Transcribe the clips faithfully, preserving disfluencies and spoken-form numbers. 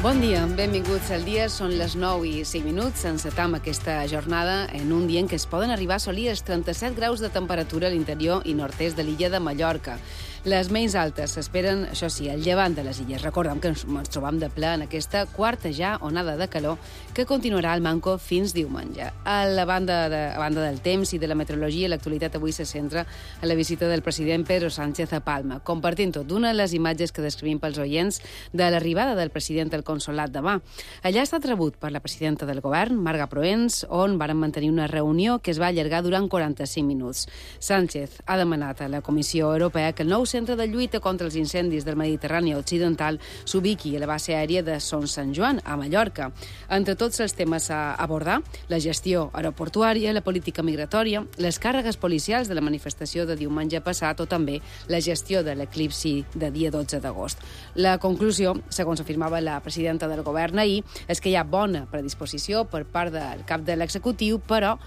Bon dia, benvinguts al dia. Són les nou i cinc minuts. Encetam aquesta jornada en un dia en què es poden arribar a assolir els trenta-set graus de temperatura a l'interior i nord-est de l'illa de Mallorca. Les més altes s'esperen, això sí, al llevant de les illes. Recordem que ens, ens trobam de ple en aquesta quarta ja onada de calor que continuarà al manco fins diumenge. A la banda, de, a banda del temps i de la meteorologia, l'actualitat avui se centra en la visita del president Pedro Sánchez a Palma, compartint tot d'una de les imatges que descrivim pels oients de l'arribada del president al consolat demà. Allà ha estat rebut per la presidenta del govern, Marga Proens, on varen mantenir una reunió que es va allargar durant quaranta-cinc minuts. Sánchez ha demanat a la Comissió Europea que el nou centre de lluita contra els incendis del Mediterrani Occidental s'ubiqui a la base aèria de Son Sant Joan, a Mallorca. Entre tots els temes a abordar, la gestió aeroportuària, la política migratòria, les càrregues policials de la manifestació de diumenge passat o també la gestió de l'eclipsi de dia dotze d'agost. La conclusió, segons afirmava la presidenta del govern ahir, és que hi ha bona predisposició per part del cap de l'executiu, però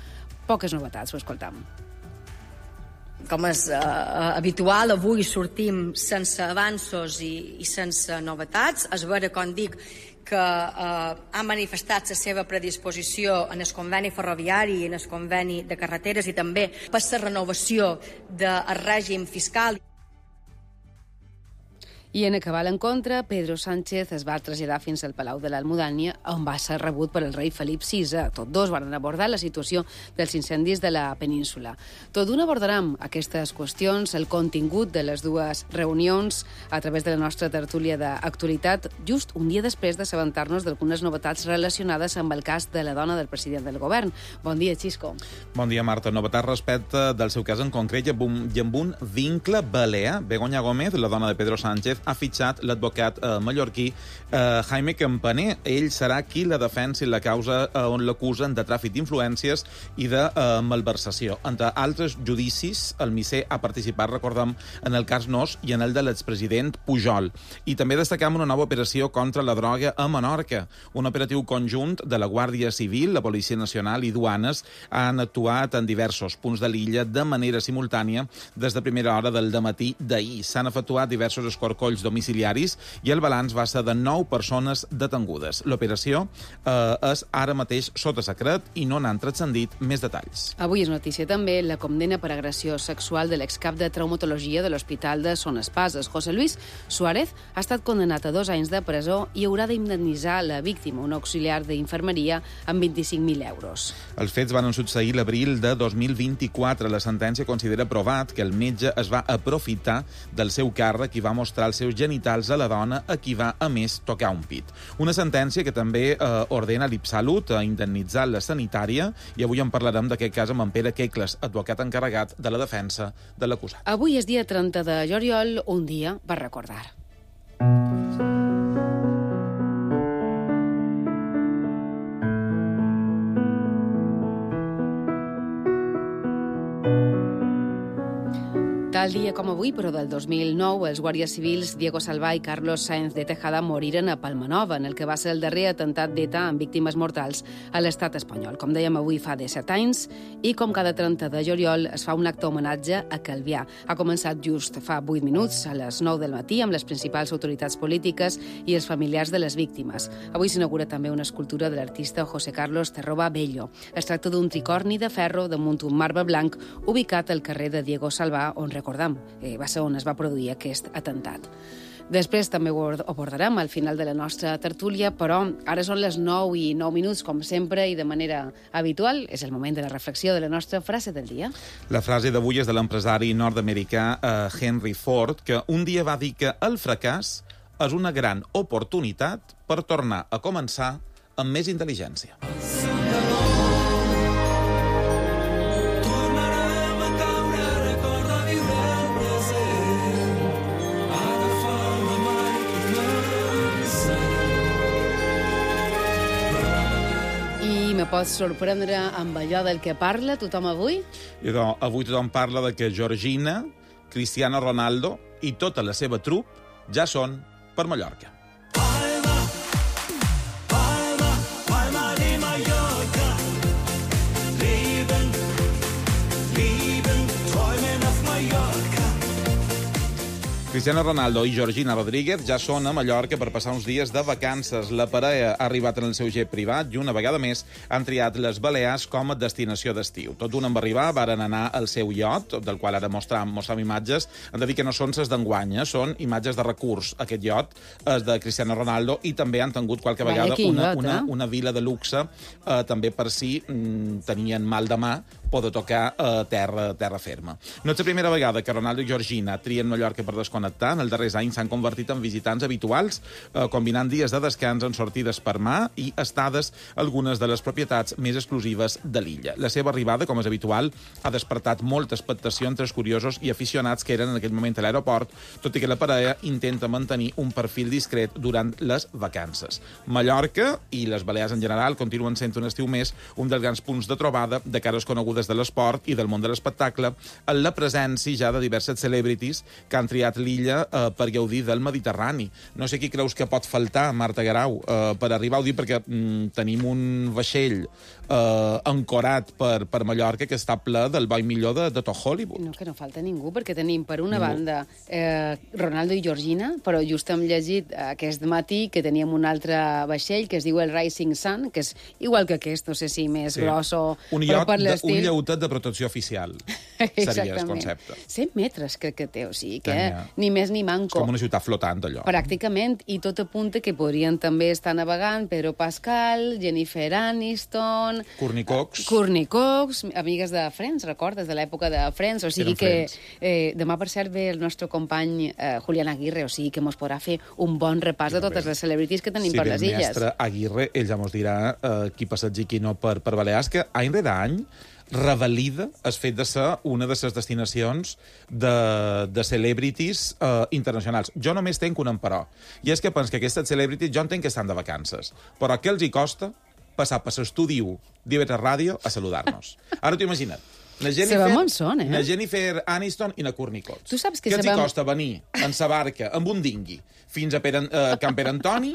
poques novetats, ho escoltam. Com és eh, habitual, avui sortim sense avanços i, i sense novetats. És vera, com dic, que eh, ha manifestat la seva predisposició en el conveni ferroviari i en el conveni de carreteres i també per la renovació del règim fiscal. I en acabar l'encontre, Pedro Sánchez es va traslladar fins al Palau de l'Almudània, on va ser rebut per el rei Felip sisè. Tots dos van abordar la situació dels incendis de la península. Tot d'una abordarem aquestes qüestions, el contingut de les dues reunions, a través de la nostra tertúlia d'actualitat, just un dia després d'assabentar-nos d'algunes novetats relacionades amb el cas de la dona del president del govern. Bon dia, Xisco. Bon dia, Marta. Novetats respecte del seu cas en concret i amb un vincle balear. Begoña Gómez, la dona de Pedro Sánchez, ha fitxat l'advocat eh, mallorquí eh, Jaime Campaner. Ell serà qui la defensi la causa eh, on l'acusen de tràfic d'influències i de eh, malversació. Entre altres judicis, el misser ha participat, recordem, en el cas Nos i en el de l'expresident Pujol. I també destacam una nova operació contra la droga a Menorca. Un operatiu conjunt de la Guàrdia Civil, la Policia Nacional i Duanes han actuat en diversos punts de l'illa de manera simultània des de primera hora del dematí d'ahir. S'han efectuat diversos escorcolls domiciliaris i el balanç va ser de nou persones detengudes. L'operació eh, és ara mateix sota secret i no n'han transcendit més detalls. Avui és notícia també la condemna per agressió sexual de l'excap de traumatologia de l'Hospital de Son Espases. José Luis Suárez ha estat condenat a dos anys de presó i haurà d'indemnitzar la víctima, un auxiliar d'infermeria, amb vint-i-cinc mil euros. Els fets van succeir l'abril de dos mil vint-i-quatre. La sentència considera provat que el metge es va aprofitar del seu càrrec i va mostrar els seus genitals a la dona a qui va, a més, tocar un pit. Una sentència que també eh, ordena l'Ipsalut a indemnitzar la sanitària i avui en parlarem d'aquest cas amb en Pere Quecles, advocat encarregat de la defensa de l'acusat. Avui és dia trenta de juliol, un dia per recordar. Tal dia com avui, però del dos mil nou, els guàrdies civils Diego Salvà i Carlos Sáenz de Tejada moriren a Palmanova, en el que va ser el darrer atemptat d'ETA amb víctimes mortals a l'estat espanyol. Com dèiem, avui fa disset anys, i com cada trenta de juliol es fa un acte homenatge a Calvià. Ha començat just fa vuit minuts, a les nou del matí, amb les principals autoritats polítiques i els familiars de les víctimes. Avui s'inaugura també una escultura de l'artista José Carlos Terroba Bello. Es tracta d'un tricorni de ferro damunt un marbre blanc ubicat al carrer de Diego Salvà, on recordam, eh, va ser on es va produir aquest atemptat. Després també ho abordarem al final de la nostra tertúlia, però ara són les nou i nou minuts, com sempre, i de manera habitual. És el moment de la reflexió de la nostra frase del dia. La frase d'avui és de l'empresari nord-americà eh, Henry Ford, que un dia va dir que el fracàs és una gran oportunitat per tornar a començar amb més intel·ligència. Me pots sorprendre amb allò del que parla tothom avui? Idò, avui tothom parla de que Georgina, Cristiano Ronaldo i tota la seva trup ja són per Mallorca. Palma, Palma, Palma de Mallorca. Leben, leben, träumen auf Mallorca. Cristiano Ronaldo i Georgina Rodríguez ja són a Mallorca per passar uns dies de vacances. La parella ha arribat en el seu jet privat i una vegada més han triat les Balears com a destinació d'estiu. Tot d'un en va arribar, varen anar al seu iot, del qual ara mostram, mostram imatges. Hem de dir que no són ses d'enguany, eh? Són imatges de recurs. Aquest iot és de Cristiano Ronaldo i també han tingut qualque vegada una, una, una vila de luxe, eh, també per si mm, tenien mal de mà poder tocar a eh, terra, terra ferma. No és la primera vegada que Ronaldo i Georgina trien Mallorca per desconnectar. En els darrers anys s'han convertit en visitants habituals, eh, combinant dies de descans en sortides per mà i estades a algunes de les propietats més exclusives de l'illa. La seva arribada, com és habitual, ha despertat molta expectació entre els curiosos i aficionats que eren en aquell moment a l'aeroport, tot i que la parella intenta mantenir un perfil discret durant les vacances. Mallorca i les Balears en general continuen sent un estiu més un dels grans punts de trobada de cares conegudes de l'esport i del món de l'espectacle, en la presència ja de diverses celebrities que han triat l'illa eh, per gaudir del Mediterrani. No sé qui creus que pot faltar, Marta Guerau, eh, per arribar a dir, perquè mm, tenim un vaixell eh, ancorat per, per Mallorca que està ple del bo i millor de, de tot Hollywood. No, que no falta ningú, perquè tenim, per una ningú. banda, eh, Ronaldo i Georgina, però just hem llegit aquest matí que teníem un altre vaixell que es diu el Rising Sun, que és igual que aquest, no sé si més sí. gros o... Un iot, per de, un lleutet de protecció oficial, seria el concepte. cent metres crec que té, o sigui que Tenia. ni més ni manco. És com una ciutat flotant, allò. Pràcticament, i tot apunta que podrien també estar navegant Pedro Pascal, Jennifer Aniston... Courtney Cox. Uh, Courtney Cox, amigues de Friends, recordes, de l'època de Friends, o sigui que eh, demà, per cert, ve el nostre company eh, Julián Aguirre, o sigui que mos podrà fer un bon repàs de totes les celebrities que tenim sí, per les illes. Sí, el mestre Aguirre, ell ja mos dirà eh, qui passeja i qui no per, per Balears, que any rere any revalida el fet de ser una de les destinacions de, de celebrities uh, internacionals. Jo només tenc un emperò, i és que penso que aquestes celebrities jo entenc que estan de vacances, però què els hi costa passar per l'estudi u d'I V tres Ràdio a saludar-nos? Ara t'ho imagina't. Na Jennifer, són, eh? na Jennifer Aniston i na Courtney Cox. Tu saps que què els sabem... hi costa venir en sa barca amb un dingui fins a Pere, uh, Can Pere Antoni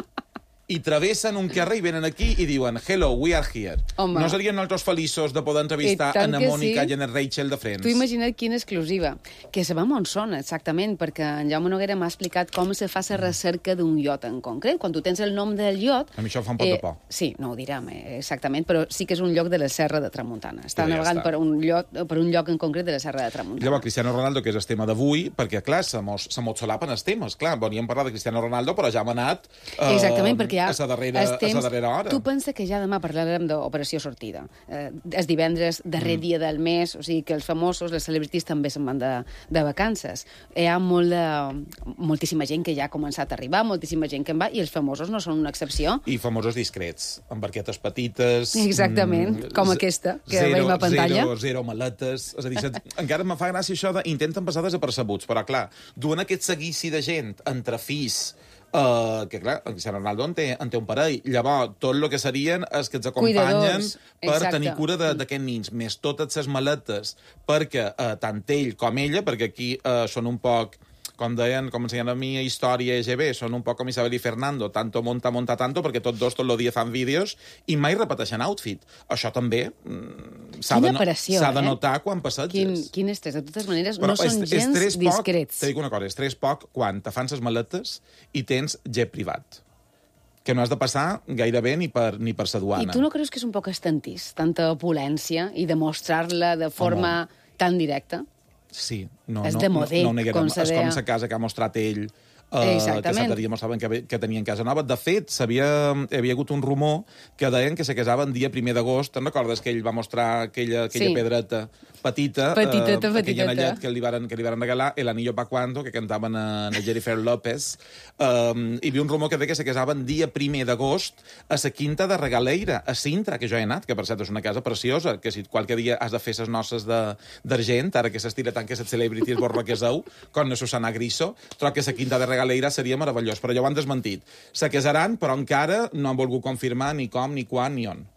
i travessen un carrer i venen aquí i diuen hello, we are here. Home. No serien nosaltres feliços de poder entrevistar a na Mònica sí. i a na Rachel de Friends? Tu imagina't quina exclusiva. Que sabem on són, exactament, perquè en Jaume Noguera m'ha explicat com se fa la recerca d'un iot en concret. Quan tu tens el nom del iot... A mi això em fa un pot eh, de por. Sí, no ho direm eh, exactament, però sí que és un lloc de la Serra de Tramuntana. Està ja navegant està. per, un lloc, per un lloc en concret de la Serra de Tramuntana. Llavors, Cristiano Ronaldo, que és el tema d'avui, perquè, clar, se mos, se mos solapen els temes. Clar, volíem parlar de Cristiano Ronaldo, però ja hem anat eh, exactament, perquè ja a la darrera... temps, a la darrera hora. Tu pensa que ja demà parlarem d'operació sortida. Eh, és divendres, darrer mm. dia del mes, o sigui que els famosos, les celebrities també se'n van de, de vacances. Hi ha molt de, moltíssima gent que ja ha començat a arribar, moltíssima gent que en va, i els famosos no són una excepció. I famosos discrets, amb barquetes petites... Exactament, mm, com aquesta, que zero, veiem a pantalla. Zero, zero maletes... És a dir, encara em fa gràcia això de intenten passar desapercebuts, però clar, duen aquest seguici de gent entre fills, Uh, que clar, en Cristiano Ronaldo en té, en té un parell. Llavors, tot el que serien és que ens acompanyen Cuidadors, per exacte. tenir cura d'aquests nins, més totes les maletes, perquè uh, tant ell com ella, perquè aquí uh, són un poc, com deien, com ensenyen a mi a Història E G B, són un poc com Isabel i Fernando, tanto monta, monta tanto, perquè tots dos tot el dia fan vídeos i mai repeteixen outfit. Això també mm, s'ha de, no, eh? de notar quan passeges. Quin, quin estrès. De totes maneres, però no són és, gens és discrets. Poc, te dic una cosa, és tres poc quan te fan ses maletes i tens jet privat, que no has de passar gairebé ni per, ni per sa duana. I tu no creus que és un poc estantís, tanta opulència, i demostrar-la de forma Home. tan directa? Sí, no, és no, de modé, no, no neguem. com se És deia. com sa casa que ha mostrat ell, uh, que l'altre dia mostraven que, que tenien casa nova. De fet, havia, havia hagut un rumor que deien que se casaven dia primer d'agost. Te'n recordes que ell va mostrar aquella, aquella sí. pedreta petita, petiteta, uh, petiteta. aquell anellet que li varen, que li varen regalar, El anillo pa' cuando, que cantaven a, a Jennifer López. Um, hi havia un rumor que deia que se casaven dia primer d'agost a la Quinta de Regaleira, a Sintra, que jo he anat, que per cert és una casa preciosa, que si qualque dia has de fer ses noces d'argent, ara que s'estira tant que les celebrities vos requeseu, com la Susana Griso, trobo que la Quinta de Regaleira seria meravellós, però ja ho han desmentit. Se casaran, però encara no han volgut confirmar ni com, ni quan, ni on.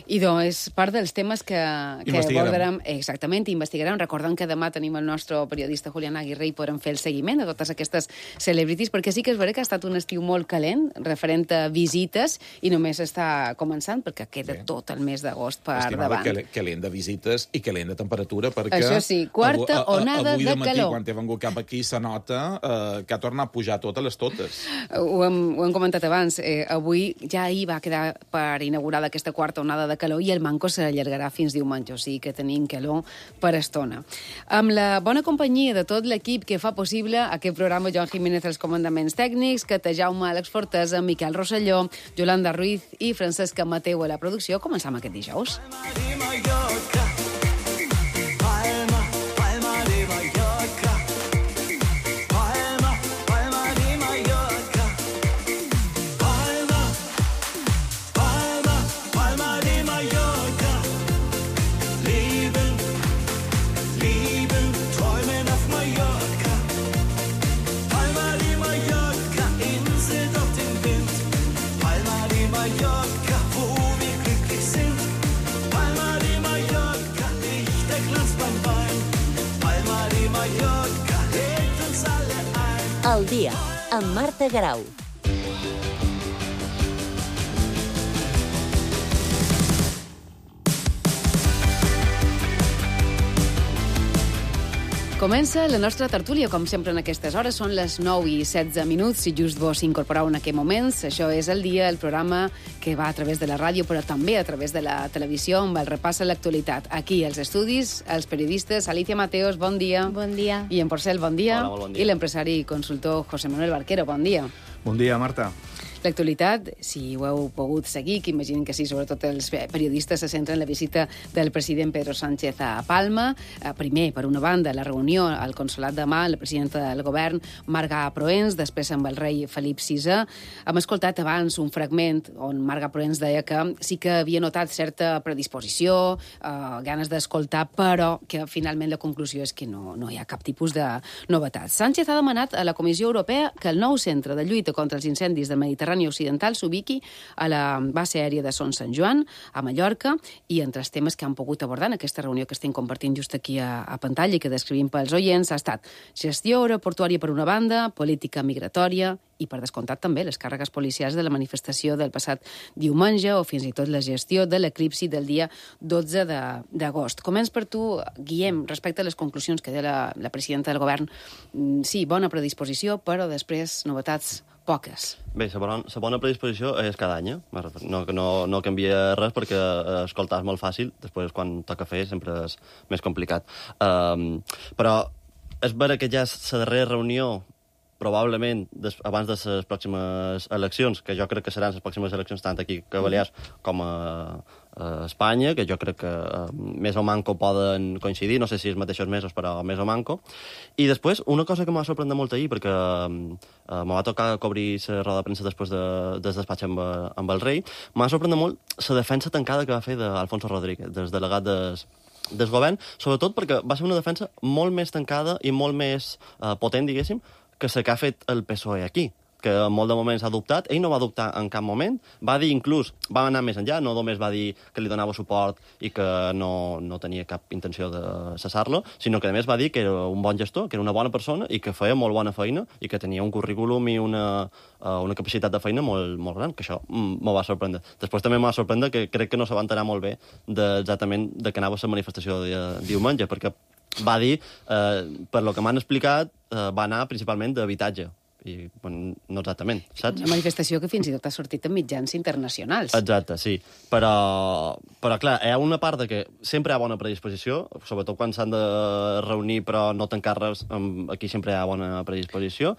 I doncs és part dels temes que, que abordarem. Exactament, investigarem. Recordem que demà tenim el nostre periodista Julián Aguirre i podrem fer el seguiment de totes aquestes celebrities, perquè sí que és vera que ha estat un estiu molt calent, referent a visites, i només està començant, perquè queda sí. tot el mes d'agost per Estimada, davant. Calent de visites i calent de temperatura, perquè... Això sí, quarta avui, onada avui de, de matí, calor. Quan he vengut cap aquí, se nota eh, que ha tornat a pujar totes les totes. Ho hem, ho hem comentat abans. Eh, avui ja ahir va quedar per inaugurada aquesta quarta onada de calor i el manco s'allargarà fins diumenge, o sigui que tenim calor per estona. Amb la bona companyia de tot l'equip que fa possible aquest programa, Joan Jiménez als comandaments tècnics, Cata Jaume, Àlex Fortesa, Miquel Rosselló, Yolanda Ruiz i Francesca Mateu a la producció, començam aquest dijous. Al dia, amb Marta Grau. Comença la nostra tertúlia, com sempre en aquestes hores. Són les nou i setze minuts, si just vos incorporeu en aquest moments. Això és El Dia, el programa que va a través de la ràdio, però també a través de la televisió, amb el repàs a l'actualitat. Aquí, als estudis, els periodistes Alicia Mateos, bon dia. Bon dia. I en Porcel, bon dia. Hola, molt bon dia. I l'empresari i consultor José Manuel Barquero, bon dia. Bon dia, Marta. L'actualitat, si ho heu pogut seguir, que imaginen que sí, sobretot els periodistes se centren en la visita del president Pedro Sánchez a Palma. Primer, per una banda, la reunió al Consolat de Mà, la presidenta del govern, Marga Proens, després amb el rei Felip sisè. Hem escoltat abans un fragment on Marga Proens deia que sí que havia notat certa predisposició, eh, ganes d'escoltar, però que finalment la conclusió és que no, no hi ha cap tipus de novetat. Sánchez ha demanat a la Comissió Europea que el nou centre de lluita contra els incendis del Mediterrani Occidental s'ubiqui a la base aèria de Son Sant Joan, a Mallorca, i entre els temes que han pogut abordar en aquesta reunió que estem compartint just aquí a, a pantalla i que descrivim pels oients ha estat gestió aeroportuària per una banda, política migratòria i, per descomptat, també les càrregues policials de la manifestació del passat diumenge o fins i tot la gestió de l'eclipsi del dia dotze d'agost. Començ per tu, Guillem, respecte a les conclusions que deia la, la presidenta del govern. Sí, bona predisposició, però després novetats poques. Bé, la bona, la bona predisposició és cada any. No, no, no canvia res perquè escoltar és molt fàcil, després quan toca fer sempre és més complicat. Um, però és vera que ja és la darrera reunió probablement des, abans de les pròximes eleccions, que jo crec que seran les pròximes eleccions tant aquí a Balears com a, a Espanya, que jo crec que uh, més o manco poden coincidir, no sé si els mateixos mesos, però més o manco. I després, una cosa que m'ha sorprès molt ahir, perquè uh, me va tocar cobrir la roda de premsa després de, del despatx amb, amb el rei, m'ha sorprès molt la defensa tancada que va fer d'Alfonso Rodríguez, des delegat des, del govern, sobretot perquè va ser una defensa molt més tancada i molt més uh, potent, diguéssim, que la que ha fet el P S O E aquí, que en molt de moments ha dubtat. Ell no va dubtar en cap moment. Va dir, inclús, va anar més enllà, no només va dir que li donava suport i que no, no tenia cap intenció de cessar-lo, sinó que, a més, va dir que era un bon gestor, que era una bona persona i que feia molt bona feina i que tenia un currículum i una, uh, una capacitat de feina molt, molt gran, que això m'ho va sorprendre. Després també m'ho va sorprendre que crec que no se va enterar molt bé de, exactament de què anava la manifestació de diumenge, perquè va dir, eh, per lo que m'han explicat, eh, va anar principalment d'habitatge. I, bueno, no exactament, saps? Una manifestació que fins i tot ha sortit en mitjans internacionals. Exacte, sí. Però, però clar, hi ha una part de que sempre hi ha bona predisposició, sobretot quan s'han de reunir però no tancar res, aquí sempre hi ha bona predisposició.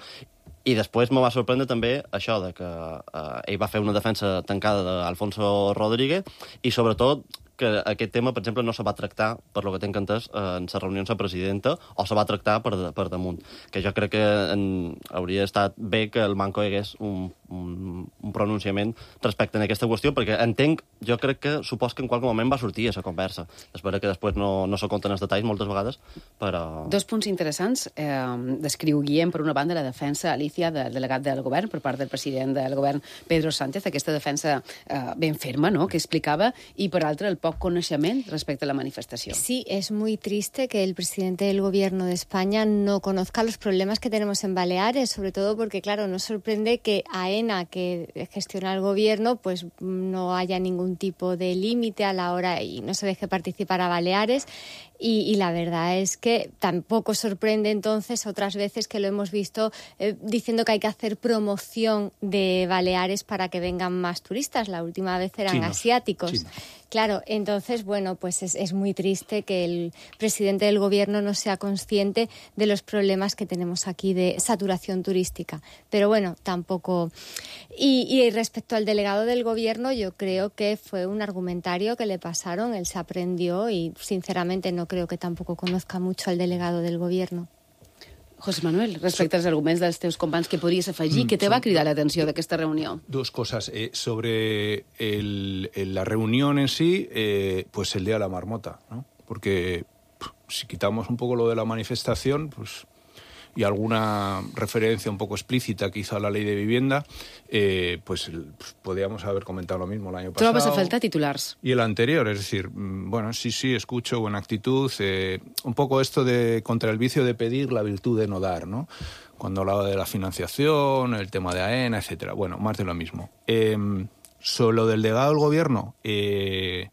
I després me va sorprendre també això de que eh, ell va fer una defensa tancada d'Alfonso Rodríguez i sobretot que aquest tema, per exemple, no se va tractar, per lo que tinc entès, en les reunions amb la presidenta, o se va tractar per, per damunt. Que jo crec que en, hauria estat bé que el Manco hi hagués un, un, un pronunciament respecte a aquesta qüestió, perquè entenc, jo crec que supos que en qualque moment va sortir a la conversa. Espero que després no, no se conten els detalls moltes vegades, però... Dos punts interessants. Eh, descriu Guillem, per una banda, la defensa, Alicia, del delegat del govern, per part del president del govern, Pedro Sánchez, aquesta defensa eh, ben ferma, ¿no?, que explicava, i per altra, el poc coneixement respecte a la manifestació. Sí, es muy triste que el presidente del gobierno de España no conozca los problemas que tenemos en Baleares, sobre todo porque, claro, nos sorprende que AENA, que gestiona el gobierno, pues no haya ningún tipo de límite a la hora y no se deje participar a Baleares. Y, y la verdad es que tampoco sorprende entonces otras veces que lo hemos visto eh, diciendo que hay que hacer promoción de Baleares para que vengan más turistas. La última vez eran chinos, asiáticos. Chinos. Claro, entonces, bueno, pues es, es muy triste que el presidente del gobierno no sea consciente de los problemas que tenemos aquí de saturación turística. Pero bueno, tampoco... Y, y respecto al delegado del gobierno, yo creo que fue un argumentario que le pasaron, él se aprendió y sinceramente no creo que tampoco conozca mucho al delegado del gobierno. José Manuel, respecte als arguments dels teus companys, què podries afegir? Què te va cridar l'atenció d'aquesta reunió? Dos cosas. Eh, sobre el, el, la reunión en sí, eh, pues el día de la marmota, ¿no? Porque pff, si quitamos un poco lo de la manifestación, pues, y alguna referencia un poco explícita que hizo a la ley de vivienda, eh, pues, pues podríamos haber comentado lo mismo el año pasado. Trobes a faltar titulars. Y el anterior, es decir, bueno, sí, sí, escucho, buena actitud, eh, un poco esto de contra el vicio de pedir, la virtud de no dar, ¿no? Cuando hablaba de la financiación, el tema de AENA, etcétera. Bueno, más de lo mismo. Eh, sobre lo del delegado del gobierno, eh,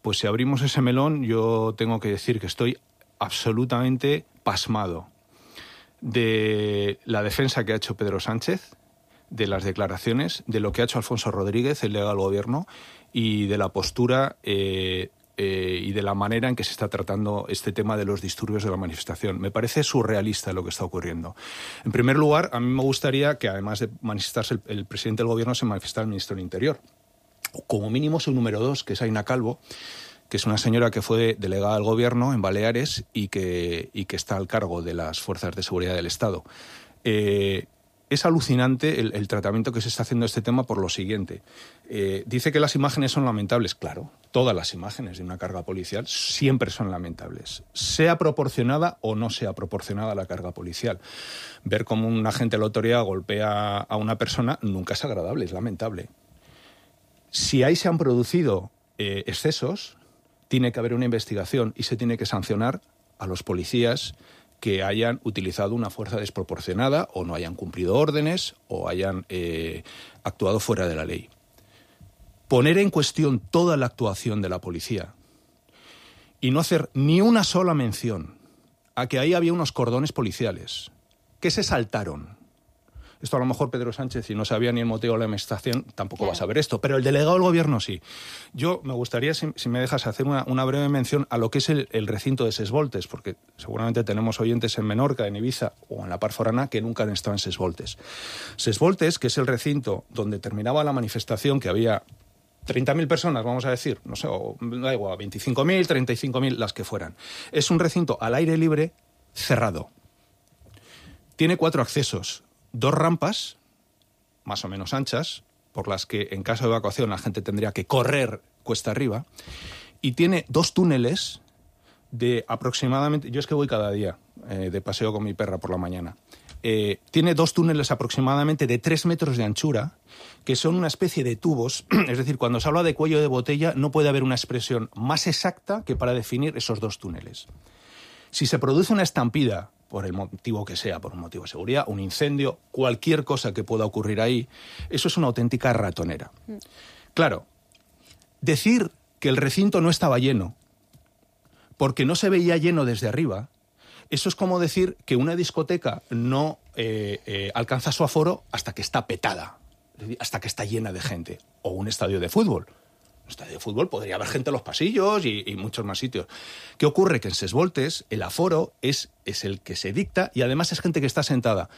pues si abrimos ese melón, yo tengo que decir que estoy absolutamente pasmado de la defensa que ha hecho Pedro Sánchez, de las declaraciones, de lo que ha hecho Alfonso Rodríguez, el delegado del gobierno, y de la postura eh, eh, y de la manera en que se está tratando este tema de los disturbios de la manifestación. Me parece surrealista lo que está ocurriendo. En primer lugar, a mí me gustaría que, además de manifestarse el, el presidente del gobierno, se manifestara el ministro del Interior. O como mínimo su número dos, que es Aina Calvo, que es una señora que fue delegada del gobierno en Baleares y que, y que está al cargo de las fuerzas de seguridad del Estado. Eh, es alucinante el, el tratamiento que se está haciendo de este tema por lo siguiente. Eh, dice que las imágenes son lamentables. Claro, todas las imágenes de una carga policial siempre son lamentables, sea proporcionada o no sea proporcionada la carga policial. Ver cómo un agente de la autoridad golpea a una persona nunca es agradable, es lamentable. Si ahí se han producido eh, excesos, tiene que haber una investigación y se tiene que sancionar a los policías que hayan utilizado una fuerza desproporcionada o no hayan cumplido órdenes o hayan eh, actuado fuera de la ley. Poner en cuestión toda la actuación de la policía y no hacer ni una sola mención a que ahí había unos cordones policiales que se saltaron. Esto a lo mejor Pedro Sánchez, si no sabía ni el motivo de la manifestación, tampoco claro. va a saber esto. Pero el delegado del gobierno sí. Yo me gustaría, si, si me dejas, hacer una, una breve mención a lo que es el, el recinto de Ses Voltes, porque seguramente tenemos oyentes en Menorca, en Ibiza o en la Par Forana que nunca han estado en Ses Voltes. Ses Voltes, que es el recinto donde terminaba la manifestación, que había treinta mil personas, vamos a decir, no sé, o da igual, veinticinco mil, treinta y cinco mil, las que fueran. Es un recinto al aire libre cerrado. Tiene cuatro accesos. Dos rampas, más o menos anchas, por las que en caso de evacuación la gente tendría que correr cuesta arriba, y tiene dos túneles de aproximadamente... Yo es que voy cada día eh, de paseo con mi perra por la mañana. Eh, tiene dos túneles aproximadamente de tres metros de anchura, que son una especie de tubos. Es decir, cuando se habla de cuello de botella, no puede haber una expresión más exacta que para definir esos dos túneles. Si se produce una estampida, por el motivo que sea, por un motivo de seguridad, un incendio, cualquier cosa que pueda ocurrir ahí, eso es una auténtica ratonera. Claro, decir que el recinto no estaba lleno, porque no se veía lleno desde arriba, eso es como decir que una discoteca no eh, eh, alcanza su aforo hasta que está petada, hasta que está llena de gente, o un estadio de fútbol. Un estadio de fútbol podría haber gente en los pasillos y, y muchos más sitios. ¿Qué ocurre? Que en Ses Voltes el aforo es, es el que se dicta y además es gente que está sentada.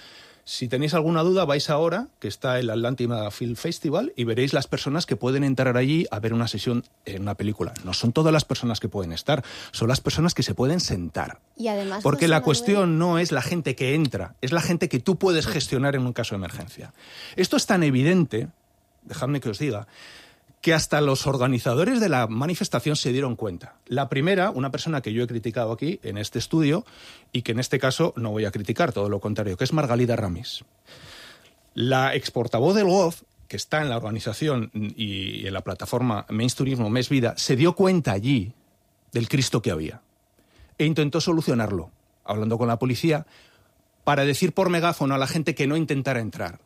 Si tenéis alguna duda, vais ahora, que está el Atlántica Film Festival, y veréis las personas que pueden entrar allí a ver una sesión en una película. No son todas las personas que pueden estar, son las personas que se pueden sentar. Y además, porque José la Manuel... cuestión no es la gente que entra, es la gente que tú puedes gestionar en un caso de emergencia. Esto es tan evidente, dejadme que os diga, que hasta los organizadores de la manifestación se dieron cuenta. La primera, una persona que yo he criticado aquí, en este estudio, y que en este caso no voy a criticar, todo lo contrario, que es Margalida Ramis. La exportavoz del G O F, que está en la organización y en la plataforma Menys Turismo, Més Vida, se dio cuenta allí del Cristo que había e intentó solucionarlo, hablando con la policía, para decir por megáfono a la gente que no intentara entrar.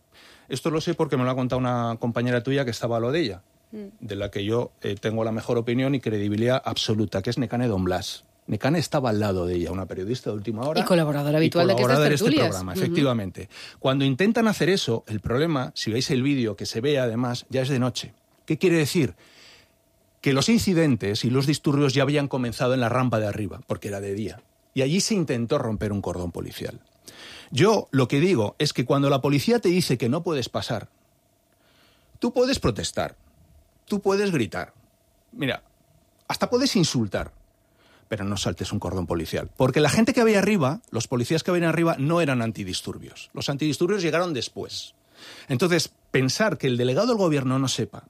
Esto lo sé porque me lo ha contado una compañera tuya que estaba a lo de ella, de la que yo eh, tengo la mejor opinión y credibilidad absoluta, que es Nekane Don Blas. Nekane estaba al lado de ella, una periodista de última hora. Y colaboradora habitual y colaboradora de estas tertulias. este programa, efectivamente. Uh-huh. Cuando intentan hacer eso, el problema, si veis el vídeo que se ve además, ya es de noche. ¿Qué quiere decir? Que los incidentes y los disturbios ya habían comenzado en la rampa de arriba, porque era de día. Y allí se intentó romper un cordón policial. Yo lo que digo es que cuando la policía te dice que no puedes pasar, tú puedes protestar, tú puedes gritar, mira, hasta puedes insultar, pero no saltes un cordón policial. Porque la gente que había arriba, los policías que habían arriba, no eran antidisturbios. Los antidisturbios llegaron después. Entonces, pensar que el delegado del gobierno no sepa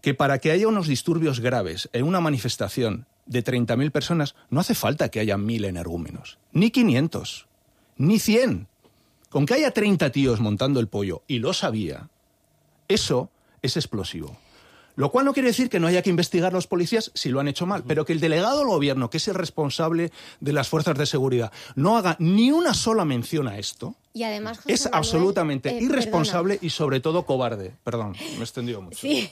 que para que haya unos disturbios graves en una manifestación de treinta mil personas, no hace falta que haya mil energúmenos, ni quinientos, ni cien. Con que haya treinta tíos montando el pollo, y lo sabía, eso es explosivo. Lo cual no quiere decir que no haya que investigar los policías si lo han hecho mal, pero que el delegado del gobierno, que es el responsable de las fuerzas de seguridad, no haga ni una sola mención a esto, y además, José es Manuel, absolutamente eh, irresponsable perdona. y sobre todo cobarde. Perdón, me he extendido mucho. Sí,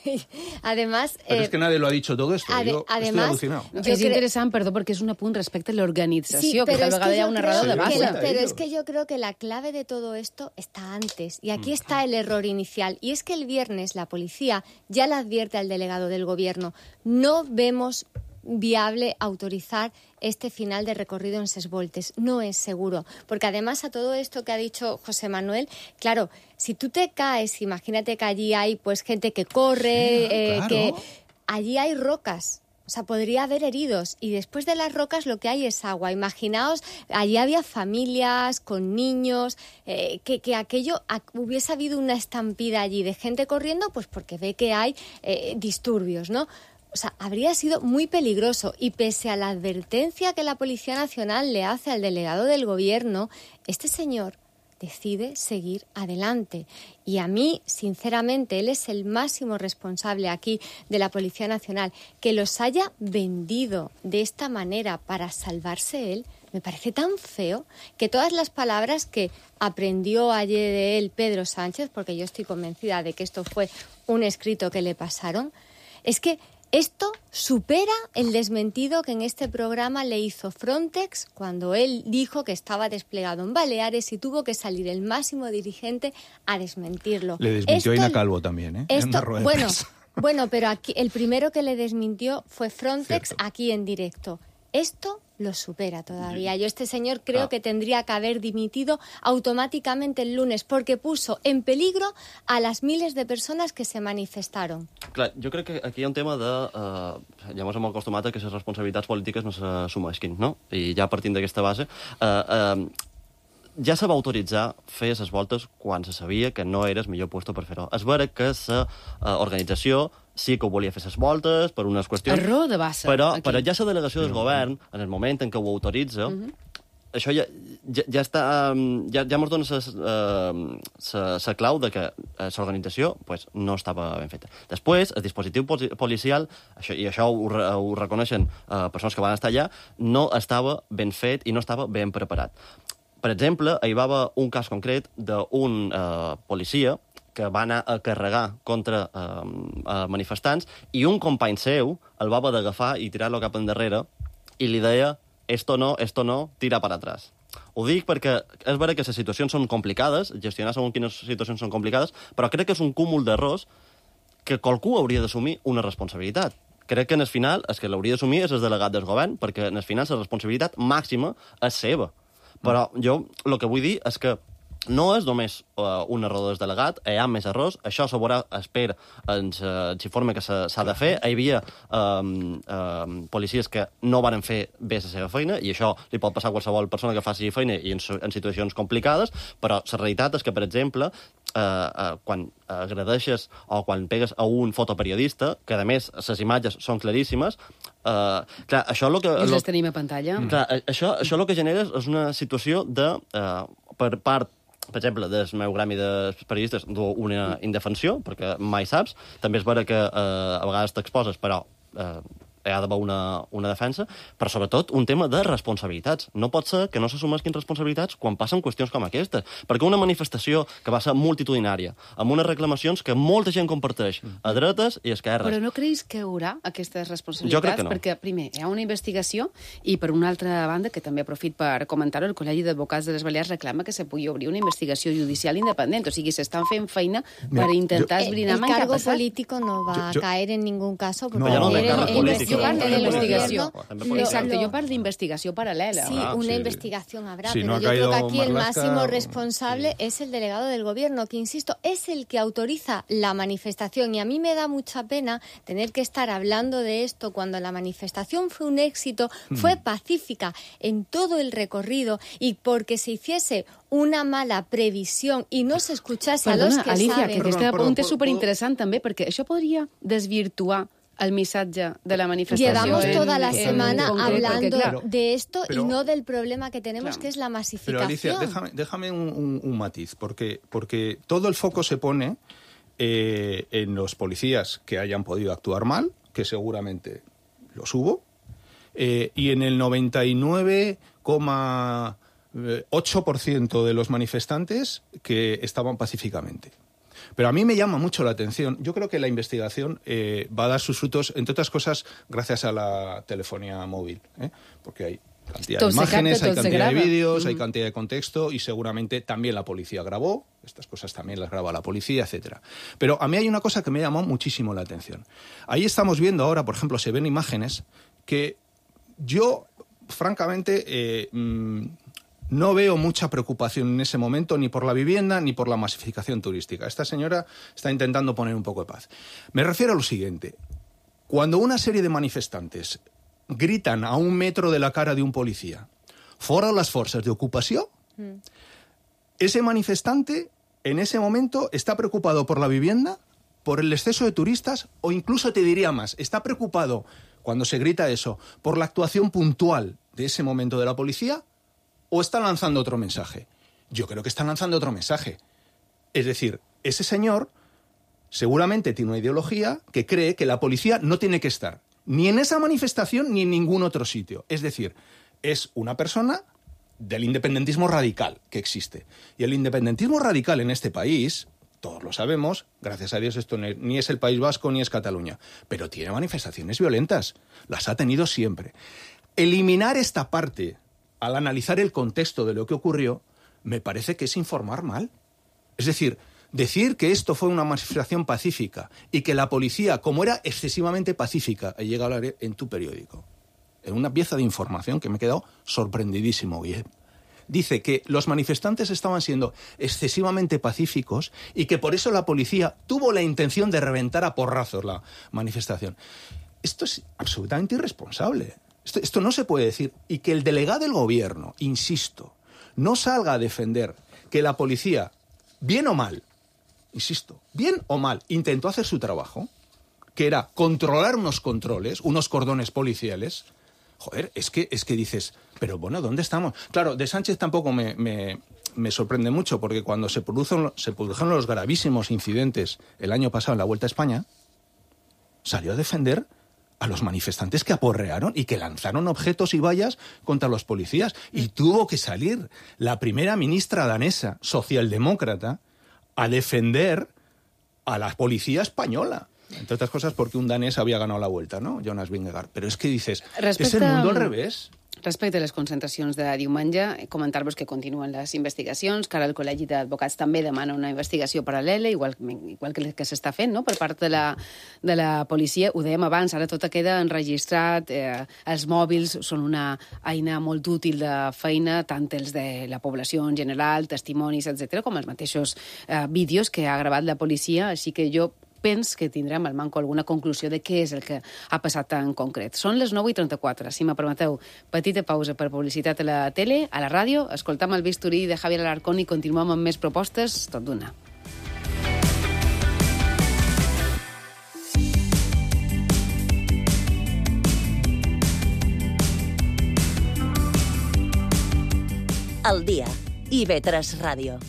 además... Pero eh, es que nadie lo ha dicho todo esto, ade- yo además, estoy alucinado. No, Jo és cre- interessant, perdó, perquè és un apunt respecte a l'organització, Sí, que pero tal es vegada que hi ha yo una creo raó Se de dan que base. la- cuenta pero ellos. es que yo creo que la clave de todo esto está antes. Y aquí está el error inicial. Y es que el viernes la policía ya le advierte al delegado del gobierno: no vemos viable autorizar este final de recorrido en ses voltes. No es seguro. Porque además a todo esto que ha dicho José Manuel, claro, si tú te caes, imagínate que allí hay pues gente que corre, Sí, eh, claro. que allí hay rocas. O sea, podría haber heridos. Y después de las rocas lo que hay es agua. Imaginaos, allí había familias con niños, eh, que, que aquello a- hubiese habido una estampida allí de gente corriendo, pues porque ve que hay eh, disturbios, ¿no? O sea, habría sido muy peligroso. Y pese a la advertencia que la Policía Nacional le hace al delegado del gobierno, este señor decide seguir adelante. Y a mí, sinceramente, él es el máximo responsable aquí de la Policía Nacional. Que los haya vendido de esta manera para salvarse él, me parece tan feo que todas las palabras que aprendió ayer de él Pedro Sánchez, porque yo estoy convencida de que esto fue un escrito que le pasaron, es que esto supera el desmentido que en este programa le hizo Frontex cuando él dijo que estaba desplegado en Baleares y tuvo que salir el máximo dirigente a desmentirlo. Le desmintió Esto- Ina Calvo también, ¿eh? En Esto, una rueda de bueno, prensa. bueno, pero aquí el primero que le desmintió fue Frontex. Cierto. Aquí en directo. Esto lo supera todavía. Yo este señor creo Ah. que tendría que haber dimitido automáticamente el lunes porque puso en peligro a las miles de personas que se manifestaron. Clar, jo crec que aquí hi ha un tema de... Eh, ja ens hem acostumat a que les responsabilitats polítiques no s'assumeixin, no? I ja partint d'aquesta base... Eh, eh, ja se va autoritzar fer les voltes quan se sabia que no era el millor lloc per fer-ho. És vera que la eh, organització sí que ho volia fer les voltes per unes qüestions... Error de base, Però, aquí. però ja la delegació del govern, en el moment en què ho autoritza, uh -huh. això ja, ja, ja està... um, Ja, ja ens dona la uh, clau de que l'organització pues, no estava ben feta. Després, el dispositiu poli- policial, això, i això ho, re- ho reconeixen uh, persones que van estar allà, no estava ben fet i no estava ben preparat. Per exemple, hi va haver un cas concret d'un uh, policia que va anar a carregar contra uh, uh, manifestants i un company seu el va haver d'agafar i tirar-lo cap endarrere i li deia esto no, esto no, tira para atrás. Ho dic perquè és vera que les situacions són complicades, gestionar segons quines situacions són complicades, però crec que és un cúmul d'errors que qualcú hauria d'assumir una responsabilitat. Crec que en el final el que l'hauria d'assumir és el delegat del govern, perquè en el final la responsabilitat màxima és seva. Però jo el que vull dir és que no és només uh, un error del delegat, hi ha més errors, això se veurà, espera, ens, uh, ens informa que s'ha de fer. Hi havia um, um, policies que no van fer bé la seva feina, i això li pot passar a qualsevol persona que faci feina i en, en situacions complicades, però la realitat és que, per exemple, uh, uh, quan agredeixes o quan pegues a un fotoperiodista, que a més les imatges són claríssimes, uh, clar, això lo que... I lo, les tenim a pantalla. Clar, això, això el que genera és una situació de, uh, per part, per exemple, del meu gremi de periodistes, una indefensió, perquè mai saps. També és vera que eh, a vegades t'exposes, però eh, hi ha d'haver una, una defensa, però sobretot un tema de responsabilitats. No pot ser que no s'assumeixin responsabilitats quan passen qüestions com aquestes, perquè una manifestació que va ser multitudinària, amb unes reclamacions que molta gent comparteix, a dretes i a esquerres. Però no creus que hi haurà aquestes responsabilitats? Jo crec que no. Perquè, primer, hi ha una investigació i, per una altra banda, que també aprofit per comentar-ho, el Col·legi d'Advocats de les Balears reclama que se pugui obrir una investigació judicial independent. O sigui, s'estan fent feina per intentar esbrinar el què ha cargo passat. político no va Yo- yo- a caer en ningún caso, porque No, ya no ayer de cargo el político. Jo parlo presidente del d'investigació. gobierno Lo- Exacte, lo- jo parlo d'investigació paral·lela. Sí, Ah, una sí. investigación habrá, Si pero no ha yo creo que caído aquí el Marlaska, máximo responsable es el delegado del gobierno, que, insisto, es el que autoriza la manifestación. Y a mí me da mucha pena tener que estar hablando de esto cuando la manifestación fue un éxito, fue pacífica en todo el recorrido, y porque se hiciese una mala previsión y no se escuchase a los Perdona, que Alicia, saben... que aquest Perdona, punt perdó, és superinteressant també, perquè això podria desvirtuar el missatge de la manifestació. Llevamos en- toda la en semana concret, perquè, hablando clar, de esto pero- y no del problema que tenemos, Claro. que es la Pero masificación. Alicia, déjame, déjame un, un- un matiz, porque, porque todo el foco se pone eh, en los policías que hayan podido actuar mal, que seguramente los hubo, eh, y en el noventa y nueve coma ocho por ciento de los manifestantes que estaban pacíficamente. Pero a mí me llama mucho la atención. Yo creo que la investigación eh, va a dar sus frutos, entre otras cosas, gracias a la telefonía móvil, ¿eh? Porque hay cantidad Todo de se imágenes, capta, hay todo se cantidad de graba. vídeos, hay Mm. cantidad de contexto, y seguramente también la policía grabó. Estas cosas también las graba la policía, etcétera. Pero a mí hay una cosa que me llamó muchísimo la atención. Ahí estamos viendo ahora, por ejemplo, se ven imágenes que yo, francamente, eh, mmm, no veo mucha preocupación en ese momento ni por la vivienda ni por la masificación turística. Esta señora está intentando poner un poco de paz. Me refiero a lo siguiente. Cuando una serie de manifestantes gritan a un metro de la cara de un policía, fora las fuerzas de ocupación, mm. ese manifestante en ese momento está preocupado por la vivienda, por el exceso de turistas, o incluso te diría más, está preocupado, cuando se grita eso, por la actuación puntual de ese momento de la policía, ¿o está lanzando otro mensaje? Yo creo que está lanzando otro mensaje. Es decir, ese señor seguramente tiene una ideología que cree que la policía no tiene que estar ni en esa manifestación ni en ningún otro sitio. Es decir, es una persona del independentismo radical que existe. Y el independentismo radical en este país, todos lo sabemos, gracias a Dios esto ni es el País Vasco ni es Cataluña, pero tiene manifestaciones violentas. Las ha tenido siempre. Eliminar esta parte al analizar el contexto de lo que ocurrió, me parece que es informar mal. Es decir, decir que esto fue una manifestación pacífica y que la policía, como era excesivamente pacífica, llega a hablar en tu periódico, en una pieza de información que me he quedado sorprendidísimo, Guillem. Dice que los manifestantes estaban siendo excesivamente pacíficos y que por eso la policía tuvo la intención de reventar a porrazos la manifestación. Esto es absolutamente irresponsable. Esto, esto no se puede decir. Y que el delegado del gobierno, insisto, no salga a defender que la policía, bien o mal, insisto, bien o mal, intentó hacer su trabajo, que era controlar unos controles, unos cordones policiales. Joder, es que, es que dices, pero bueno, ¿dónde estamos? Claro, de Sánchez tampoco me, me, me sorprende mucho, porque cuando se produjeron, se produjeron los gravísimos incidentes el año pasado en la Vuelta a España, salió a defender a los manifestantes que aporrearon y que lanzaron objetos y vallas contra los policías. Y tuvo que salir la primera ministra danesa, socialdemócrata, a defender a la policía española. Entre otras cosas porque un danés había ganado la Vuelta, ¿no? Jonas Vingegaard. Pero es que dices, Respecte... es el mundo al revés. Respecte a les concentracions de diumenge, comentar-vos que continuen les investigacions, que ara el Col·legi d'Advocats també demana una investigació paral·lela, igual, igual que, que s'està fent, no?, per part de la, de la policia. Ho dèiem abans, ara tot queda enregistrat, eh, els mòbils són una eina molt útil de feina, tant els de la població en general, testimonis, etcètera, com els mateixos eh, vídeos que ha gravat la policia, així que jo penso que tindrem al manco alguna conclusió de què és el que ha passat en concret. Són les nou i trenta-quatre. Si me permeteu, petita pausa per publicitat a la tele, a la ràdio, escoltam el bisturí de Javier Alarcón i continuem amb més propostes, tot d'una. El dia. I ve tres Ràdio.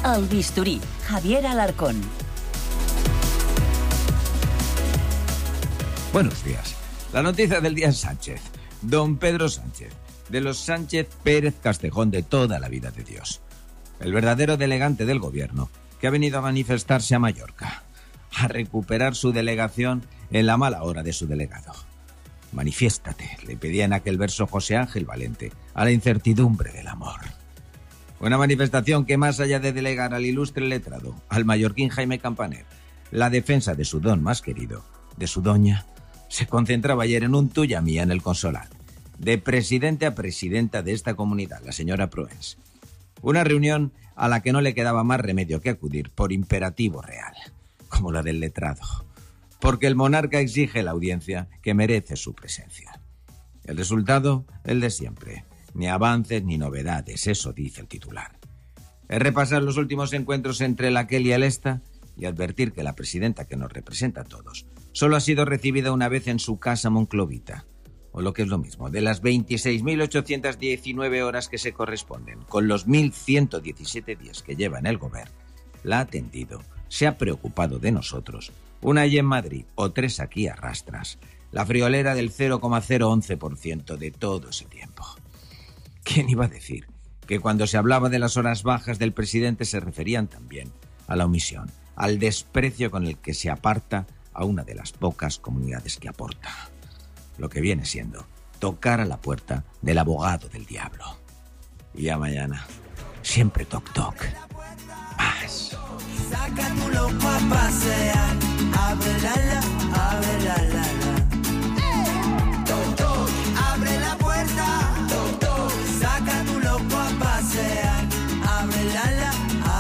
El bisturí, Javier Alarcón. Buenos días. La noticia del día es Sánchez. Don Pedro Sánchez, de los Sánchez Pérez Castejón de toda la vida de Dios. El verdadero delegante del gobierno, que ha venido a manifestarse a Mallorca, a recuperar su delegación en la mala hora de su delegado. Manifiéstate, le pedía en aquel verso José Ángel Valente, a la incertidumbre del amor. Una manifestación que, más allá de delegar al ilustre letrado, al mallorquín Jaime Campaner, la defensa de su don más querido, de su doña, se concentraba ayer en un tuya mía en el Consolat, de presidente a presidenta de esta comunidad, la señora Proens. Una reunión a la que no le quedaba más remedio que acudir por imperativo real, como la del letrado, porque el monarca exige la audiencia que merece su presencia. El resultado, el de siempre. Ni avances ni novedades, eso dice el titular. Es repasar los últimos encuentros entre el aquel y el esta y advertir que la presidenta que nos representa a todos solo ha sido recibida una vez en su casa monclovita, o lo que es lo mismo, de las veintiséis mil ochocientas diecinueve horas que se corresponden con los mil ciento diecisiete días que lleva en el gobierno, la ha atendido, se ha preocupado de nosotros, una allí en Madrid o tres aquí a rastras, la friolera del cero coma cero once por ciento de todo ese tiempo. ¿Quién iba a decir que cuando se hablaba de las horas bajas del presidente se referían también a la omisión, al desprecio con el que se aparta a una de las pocas comunidades que aporta? Lo que viene siendo tocar a la puerta del abogado del diablo. Y ya mañana, siempre toc toc. Más. Saca tu loco a pasear, abre la la, abre la la la. Toc toc, abre la puerta. Toc toc, saca tu loco a pasear, abre la la,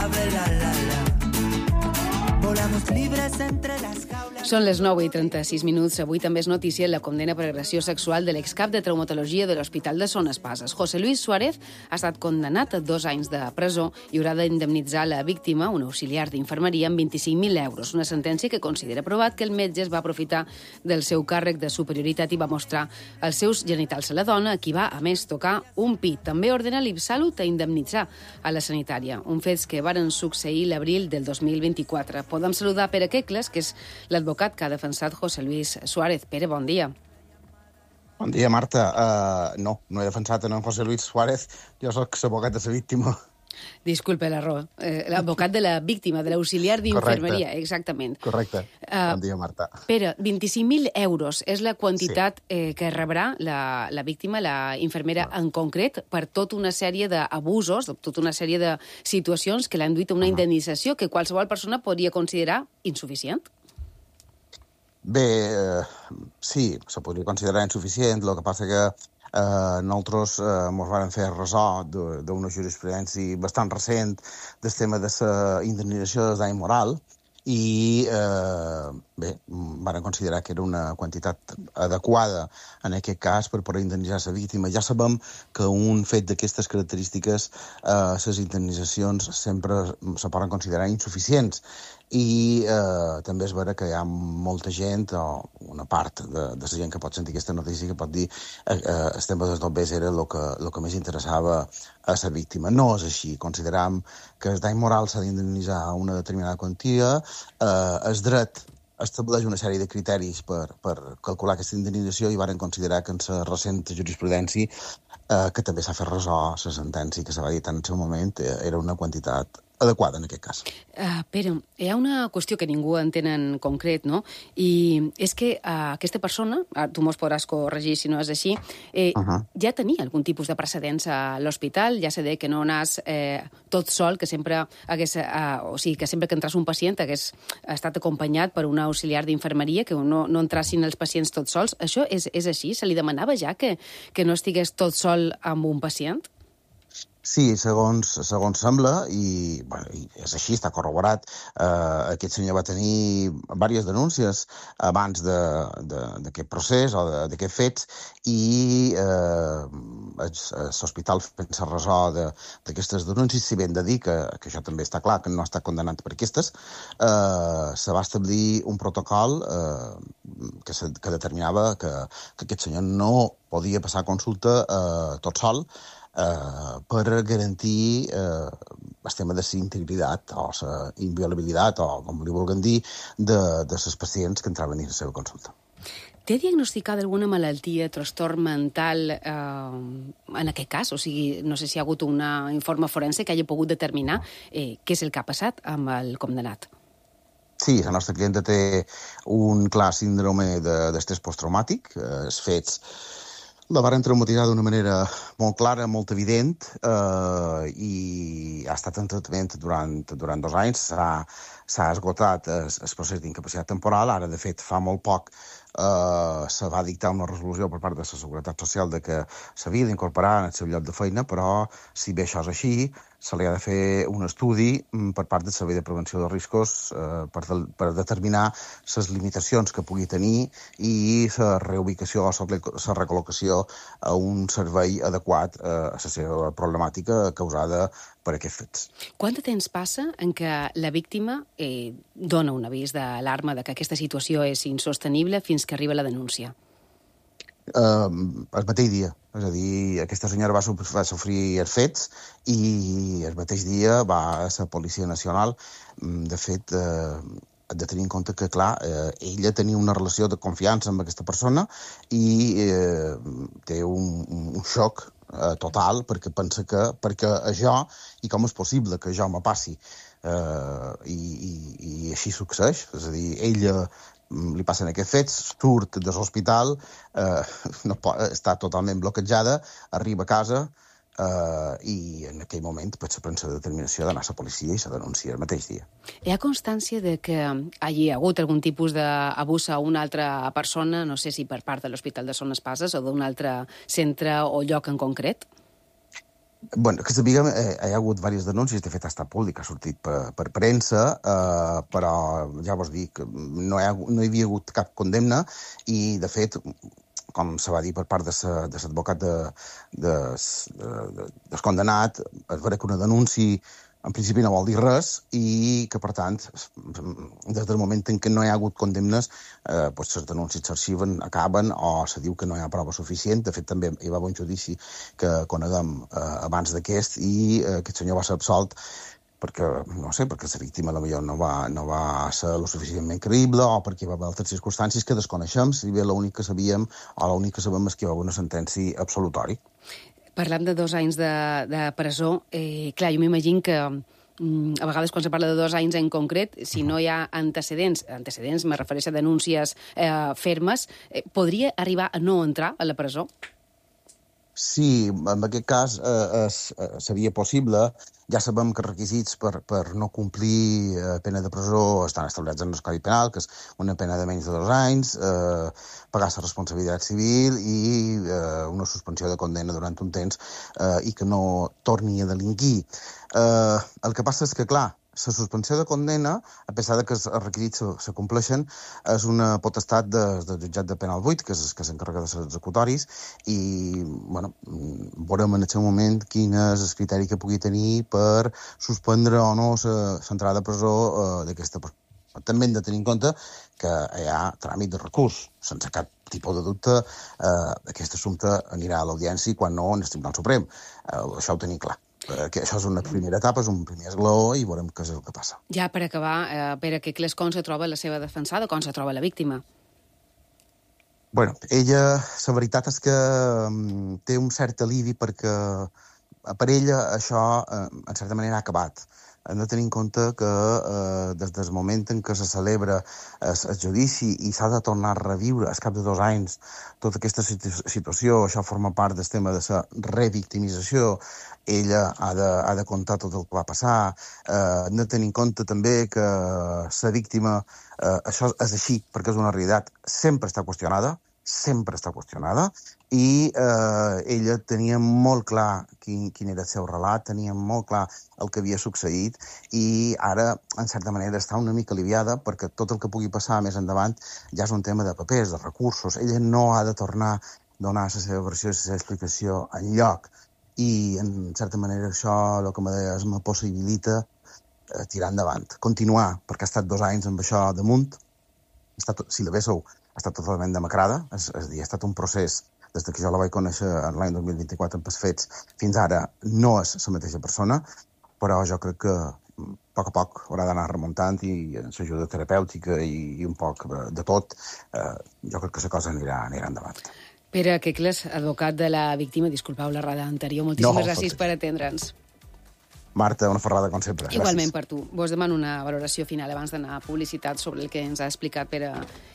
abre la la la. Volamos libres entre las jaulas. Són les nou i trenta-sis minuts. Avui també és notícia la condena per agressió sexual de l'excap de traumatologia de l'Hospital de Son Espases. José Luis Suárez ha estat condemnat a dos anys de presó i haurà d'indemnitzar la víctima, un auxiliar d'infermeria, amb vint-i-cinc mil euros. Una sentència que considera provat que el metge es va aprofitar del seu càrrec de superioritat i va mostrar els seus genitals a la dona, a qui va, a més, tocar un pit. També ordena l'Ipsalut a indemnitzar a la sanitària, un fets que varen succeir l'abril del dos mil vint-i-quatre. Podem saludar Pere Quecles, que és l'advocat que ha defensat José Luis Suárez. Pere, bon dia. Bon dia, Marta. Uh, no, no he defensat en José Luis Suárez. Jo soc l'advocat de la víctima. Disculpe l'error. Eh, L'advocat de la víctima, de l'auxiliar d'infermeria, exactament. Correcte. Uh, bon dia, Marta. Pere, vint-i-cinc mil euros és la quantitat sí. eh, que rebrà la, la víctima, la infermera no. en concret, per tota una sèrie d'abusos, tota una sèrie de situacions que l'han duit a una uh -huh. indemnització que qualsevol persona podria considerar insuficient? Bé, eh, sí, se podria considerar insuficient. El que passa que eh, nosaltres eh, ens vam fer ressò d'una jurisprudència bastant recent del tema de la indemnització del dany moral i, eh, bé, van considerar que era una quantitat adequada en aquest cas per poder indemnitzar la víctima. Ja sabem que un fet d'aquestes característiques, eh, les indemnitzacions sempre se poden considerar insuficients. I eh, també és vera que hi ha molta gent, o una part de, de la gent que pot sentir aquesta notícia, que pot dir que eh, eh, el tema dels dobbers era el que, el que més interessava a la víctima. No és així. Consideram que el dany moral s'ha d'indemnitzar una determinada quantia. Eh, el dret estableix una sèrie de criteris per, per calcular aquesta indemnització i varen considerar que en la recent jurisprudència, eh, que també s'ha fet ressò la sentència que se va dir en el seu moment, eh, era una quantitat adequada en aquest cas. Uh, Pere, hi ha una qüestió que ningú entén en concret, no? I és que uh, aquesta persona, uh, tu mos podràs corregir si no és així, eh, uh -huh. ja tenia algun tipus de precedents a l'hospital, ja sé que no anàs eh, tot sol, que sempre hagués, uh, o sigui, que sempre que entras un pacient hagués estat acompanyat per un auxiliar d'infermeria, que no, no entrassin els pacients tots sols. Això és, és així? Se li demanava ja que, que no estigués tot sol amb un pacient? Sí, segons, segons sembla, i, bueno, i és així, està corroborat, eh, aquest senyor va tenir diverses denúncies abans d'aquest procés o d'aquests fets i eh, l'hospital fent-se ressò d'aquestes denúncies, si ben de dir que, que això també està clar, que no està condemnat per aquestes, eh, se va establir un protocol eh, que, se, que determinava que, que aquest senyor no podia passar consulta eh, tot sol, Uh, per garantir uh, el tema de la integritat o la inviolabilitat, o com li vulguin dir, de, de les pacients que entraven a la seva consulta. Té diagnosticada alguna malaltia, trastorn mental eh, en aquest cas? O sigui, no sé si hi ha hagut un informe forense que hagi pogut determinar eh, què és el que ha passat amb el condemnat. Sí, la nostra clienta té un clar síndrome d'estrès posttraumàtic, eh, els fets la varen traumatitzar d'una manera molt clara, molt evident, eh, i ha estat en tractament durant, durant dos anys. S'ha esgotat el, el procés d'incapacitat temporal. Ara, de fet, fa molt poc eh, se va dictar una resolució per part de la Seguretat Social de que s'havia d'incorporar en el seu lloc de feina, però si bé això és així, se li ha de fer un estudi per part del Servei de Prevenció de Riscos eh, per, de, per determinar les limitacions que pugui tenir i la reubicació o la recol·locació a un servei adequat a la seva problemàtica causada per aquests fets. Quant de temps passa en què la víctima eh, dona un avís d'alarma de que aquesta situació és insostenible fins que arriba la denúncia? Uh, el mateix dia. És a dir, aquesta senyora va, va sofrir els fets i el mateix dia va a la Policia Nacional. De fet, eh, hem de tenir en compte que, clar, eh, ella tenia una relació de confiança amb aquesta persona i eh, té un, un xoc eh, total perquè pensa que perquè això, i com és possible que això me passi, eh, i, i, i així succeeix. És a dir, ella li passen aquests fets, surt de l'hospital, eh, no pot, està totalment bloquejada, arriba a casa eh, i en aquell moment pues, se pren la determinació d'anar a la policia i se denuncia el mateix dia. Hi ha constància de que hagi hagut algun tipus d'abús a una altra persona, no sé si per part de l'Hospital de Son Espases o d'un altre centre o lloc en concret? Bueno, que sapiguem, eh, hi ha hagut diverses denúncies, de fet ha estat públic, ha sortit per, per premsa, eh, però ja vos dic, no hi, ha, no hi havia hagut cap condemna i, de fet, com se va dir per part de l'advocat de, de, de, de, del condenat, es veurà que una denúncia en principi no vol dir res i que, per tant, des del moment en què no hi ha hagut condemnes, eh, doncs les denúncies s'arxiven, acaben o se diu que no hi ha prova suficient. De fet, també hi va haver un judici que coneguem eh, abans d'aquest i eh, aquest senyor va ser absolt perquè, no sé, perquè la víctima potser no va, no va ser lo suficientment creïble o perquè hi va haver altres circumstàncies que desconeixem, si bé l'únic que sabíem o l'únic que sabem és que hi va haver una sentència absolutori. Parlant de dos anys de, de presó, eh, clar, jo m'imagino que mm, a vegades quan se parla de dos anys en concret, si no hi ha antecedents, antecedents, me refereixo a denúncies eh, fermes, eh, podria arribar a no entrar a la presó? Sí, en aquest cas eh, es, eh, seria possible. Ja sabem que els requisits per, per no complir eh, pena de presó estan establerts en el Codi Penal, que és una pena de menys de dos anys, eh, pagar la responsabilitat civil i eh, una suspensió de condena durant un temps eh, i que no torni a delinquir. Eh, el que passa és que, clar, la suspensió de condena, a pesar de que els requisits se, se compleixen, és una potestat de, del jutjat de penal vuit, que és que s'encarrega de ser executoris, i bueno, veurem en el seu moment quin és el criteri que pugui tenir per suspendre o no l'entrada a presó eh, d'aquesta persona. També hem de tenir en compte que hi ha tràmit de recurs. Sense cap tipus de dubte, eh, aquest assumpte anirà a l'audiència i quan no, en el Tribunal Suprem. Eh, això ho tenim clar. Que això és una primera etapa, és un primer esglaó i veurem què és el que passa. Ja per acabar, eh, Pere Quicles, com se troba la seva defensada, com se troba la víctima? Bueno, ella, la veritat és que um, té un cert alivi perquè per ella això, eh, en certa manera, ha acabat. hem de tenir en compte que eh, des del moment en què se celebra el, el judici i s'ha de tornar a reviure al cap de dos anys tota aquesta situ situació, això forma part del tema de la revictimització, ella ha de, ha de contar tot el que va passar, eh, hem de tenir en compte també que la víctima, eh, això és així perquè és una realitat, sempre està qüestionada, sempre està qüestionada, i eh, ella tenia molt clar quin, quin era el seu relat, tenia molt clar el que havia succeït, i ara, en certa manera, està una mica aliviada perquè tot el que pugui passar més endavant ja és un tema de papers, de recursos. Ella no ha de tornar a donar la seva versió i la seva explicació enlloc, i, en certa manera, això, el que me deies, me possibilita eh, tirar endavant, continuar, perquè ha estat dos anys amb això damunt, ha estat, si la veieu, ha estat totalment demacrada, és, és a dir, ha estat un procés, des que jo la vaig conèixer l'any dos mil vint-i-quatre amb els fets, fins ara no és la mateixa persona, però jo crec que a poc a poc haurà d'anar remuntant i amb l'ajuda terapèutica i, i un poc de tot, eh, jo crec que la cosa anirà, anirà endavant. Pere Quecles, advocat de la víctima, disculpeu la errada anterior, moltíssimes No, gràcies tot- per atendre'ns. Marta, una ferrada com sempre. Igualment Gràcies. per tu. Vos demano una valoració final abans d'anar a publicitat sobre el que ens ha explicat Pere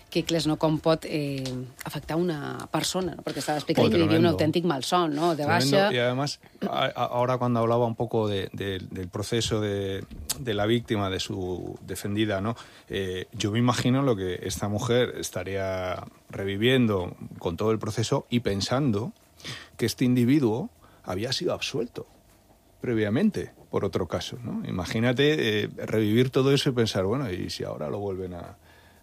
Quecles, no? Com pot eh, afectar una persona, ¿no? Porque estaba explicando Oh, que vivía un tremendo. auténtico malsón, ¿no? De Tremendo. baixa. Y además, a- a- ahora cuando hablaba un poco de, de, del proceso de, de la víctima, de su defendida, ¿no? Eh, yo me imagino lo que esta mujer estaría reviviendo con todo el proceso y pensando que este individuo había sido absuelto previamente por otro caso, ¿no? Imagínate eh, revivir todo eso y pensar, bueno, ¿y si ahora lo vuelven a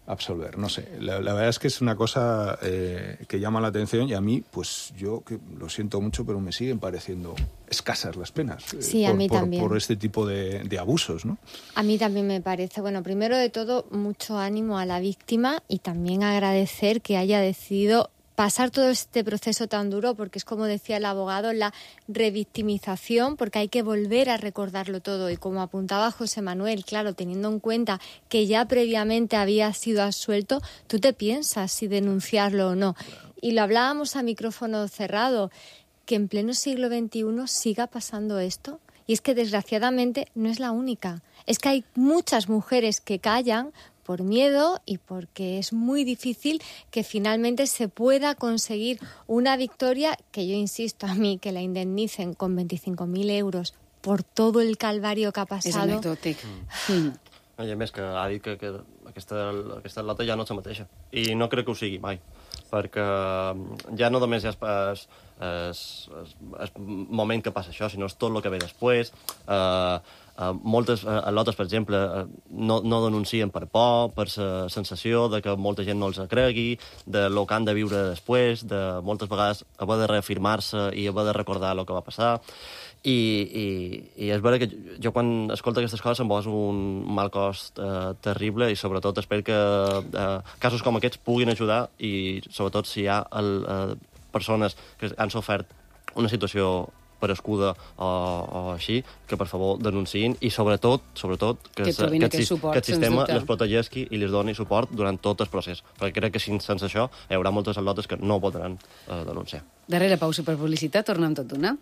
absolver? No sé, la, la verdad es que es una cosa eh, que llama la atención, y a mí, pues yo que lo siento mucho, pero me siguen pareciendo escasas las penas. eh, Sí, a por, mí por, también. por este tipo de, de abusos, ¿no? A mí también me parece, bueno, primero de todo, mucho ánimo a la víctima y también agradecer que haya decidido pasar todo este proceso tan duro, porque es como decía el abogado, la revictimización, porque hay que volver a recordarlo todo. Y como apuntaba José Manuel, claro, teniendo en cuenta que ya previamente había sido absuelto, tú te piensas si denunciarlo o no. Y lo hablábamos a micrófono cerrado, que en pleno siglo veintiuno siga pasando esto. Y es que desgraciadamente no es la única. Es que hay muchas mujeres que callan por miedo y porque es muy difícil que finalmente se pueda conseguir una victoria, que yo insisto a mí que la indemnicen con veinticinco mil euros por todo el calvario que ha És pasado. anecdòtic. Mm. I a més que ha dit que, que aquesta, aquesta lota ja no és la mateixa. I no crec que ho sigui mai, perquè ja no només és el, el, el moment que passa això, sinó és tot el que ve després. Uh, uh, moltes uh, lotes, per exemple, uh, no, no denuncien per por, per la sensació de que molta gent no els cregui, de lo que han de viure després, de moltes vegades haver de reafirmar-se i haver de recordar el que va passar. I, i, i és vera que jo quan escolto aquestes coses em poso un mal cost eh, terrible, i sobretot espero que eh, casos com aquests puguin ajudar, i sobretot si hi ha el, eh, persones que han sofert una situació perescuda o, o així, que per favor denunciïn, i sobretot, sobretot que, Que se, trobin que, aquest suport, que el sens sistema dubte. les protegeixi i les doni suport durant tot el procés, perquè crec que sense això hi haurà moltes atletes que no podran eh, denunciar. Darrere pausa per publicitat, tornem tot d'una.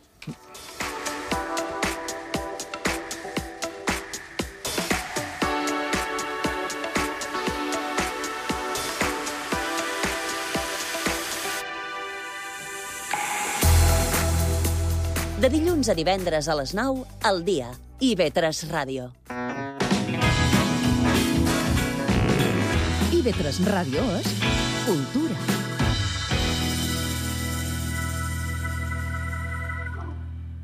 De dilluns a divendres a les nou, al dia. I ve tres Ràdio. I ve tres Ràdio és cultura.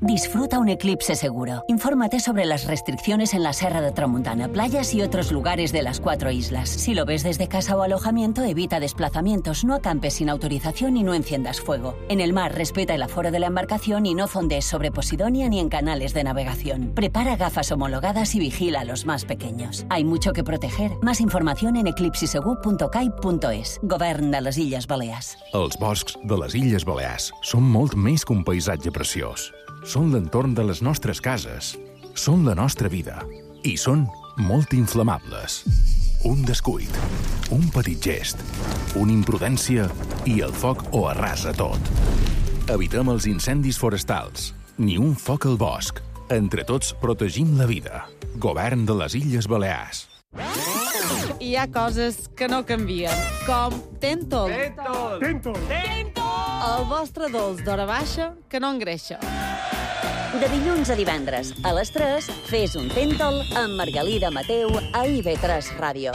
Disfruta un eclipse seguro. Infórmate sobre las restricciones en la Serra de Tramuntana, playas y otros lugares de las cuatro islas. Si lo ves desde casa o alojamiento, evita desplazamientos, no acampes sin autorización y no enciendas fuego. En el mar, respeta el aforo de la embarcación y no fondees sobre Posidonia ni en canales de navegación. Prepara gafas homologadas y vigila a los más pequeños. Hay mucho que proteger. Más información en eclipsisegur punto cai punto es. Govern de les Illes Balears. Els boscs de les Illes Balears són molt més que un paisatge preciós. Són l'entorn de les nostres cases, són la nostra vida i són molt inflamables. Un descuit, un petit gest, una imprudència i el foc ho arrasa tot. Evitem els incendis forestals, ni un foc al bosc. Entre tots protegim la vida. Govern de les Illes Balears. Hi ha coses que no canvien, com Tentol. Tentol! Tentol! Tentol! El vostre dolç d'hora baixa que no engreixa. De dilluns a divendres, a les tres, fes un Tentol amb Margalida Mateu a I V tres Ràdio.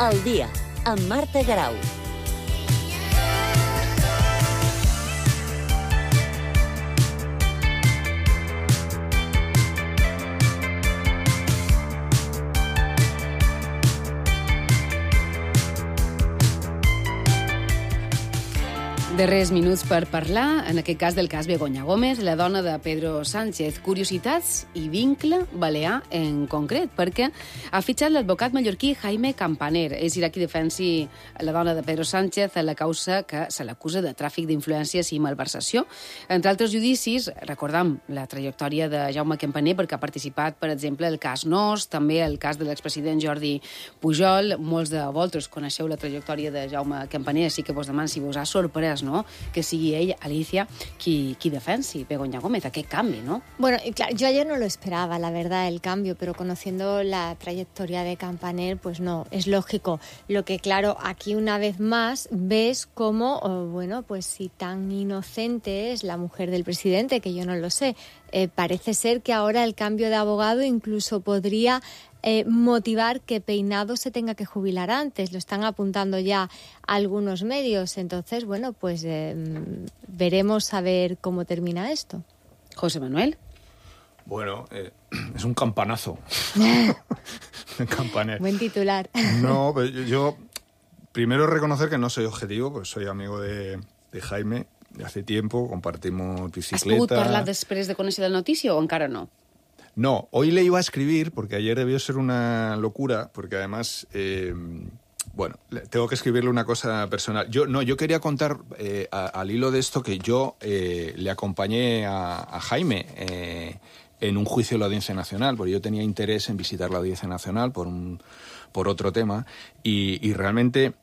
El dia, amb Marta Garau. Darrers minuts per parlar, en aquest cas del cas Begoña Gómez, la dona de Pedro Sánchez. Curiositats i vincle balear en concret, perquè ha fitxat l'advocat mallorquí Jaime Campaner. És irà qui defensi la dona de Pedro Sánchez en la causa que se l'acusa de tràfic d'influències i malversació. Entre altres judicis, recordam la trajectòria de Jaume Campaner, perquè ha participat, per exemple, el cas Nos, també el cas de l'expresident Jordi Pujol. Molts de vosaltres coneixeu la trajectòria de Jaume Campaner, així que vos deman si vos ha sorprès, no?, que sigui ell, Alicia, qui, qui defensi Begoña Gómez, aquest canvi, ¿no? Bueno, y claro, yo ayer no lo esperaba, la verdad, el cambio, pero conociendo la trayectoria de Campaner, pues no, es lógico. Lo que, claro, aquí una vez más ves cómo, oh, bueno, pues si tan inocente es la mujer del presidente, que yo no lo sé, eh, parece ser que ahora el cambio de abogado incluso podría Eh, motivar que Peinado se tenga que jubilar antes. Lo están apuntando ya algunos medios. Entonces, bueno, pues eh, veremos a ver cómo termina esto. José Manuel. Bueno, eh, es un campanazo. Campaner. Buen titular. No, pero yo, yo primero reconocer que no soy objetivo, pues soy amigo de, de Jaime de hace tiempo, compartimos bicicleta. Has pogut parlar després de conèixer la notícia o encara no? No, hoy le iba a escribir, porque ayer debió ser una locura, porque además, eh, bueno, tengo que escribirle una cosa personal. Yo no, yo quería contar eh, a, al hilo de esto que yo eh, le acompañé a, a Jaime eh, en un juicio de la Audiencia Nacional, porque yo tenía interés en visitar la Audiencia Nacional por, un, por otro tema, y, y realmente,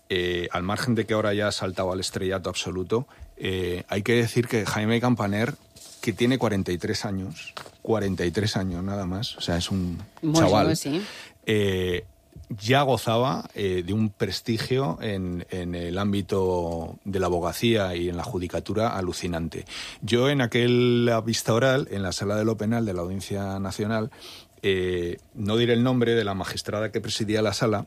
eh, al margen de que ahora ya ha saltado al estrellato absoluto, eh, hay que decir que Jaime Campaner, que tiene cuarenta y tres años, cuarenta y tres años nada más, o sea, es un Muy chaval, joven, sí. eh, ya gozaba eh, de un prestigio en, en el ámbito de la abogacía y en la judicatura alucinante. Yo en aquella vista oral, en la sala de lo penal de la Audiencia Nacional, eh, no diré el nombre de la magistrada que presidía la sala,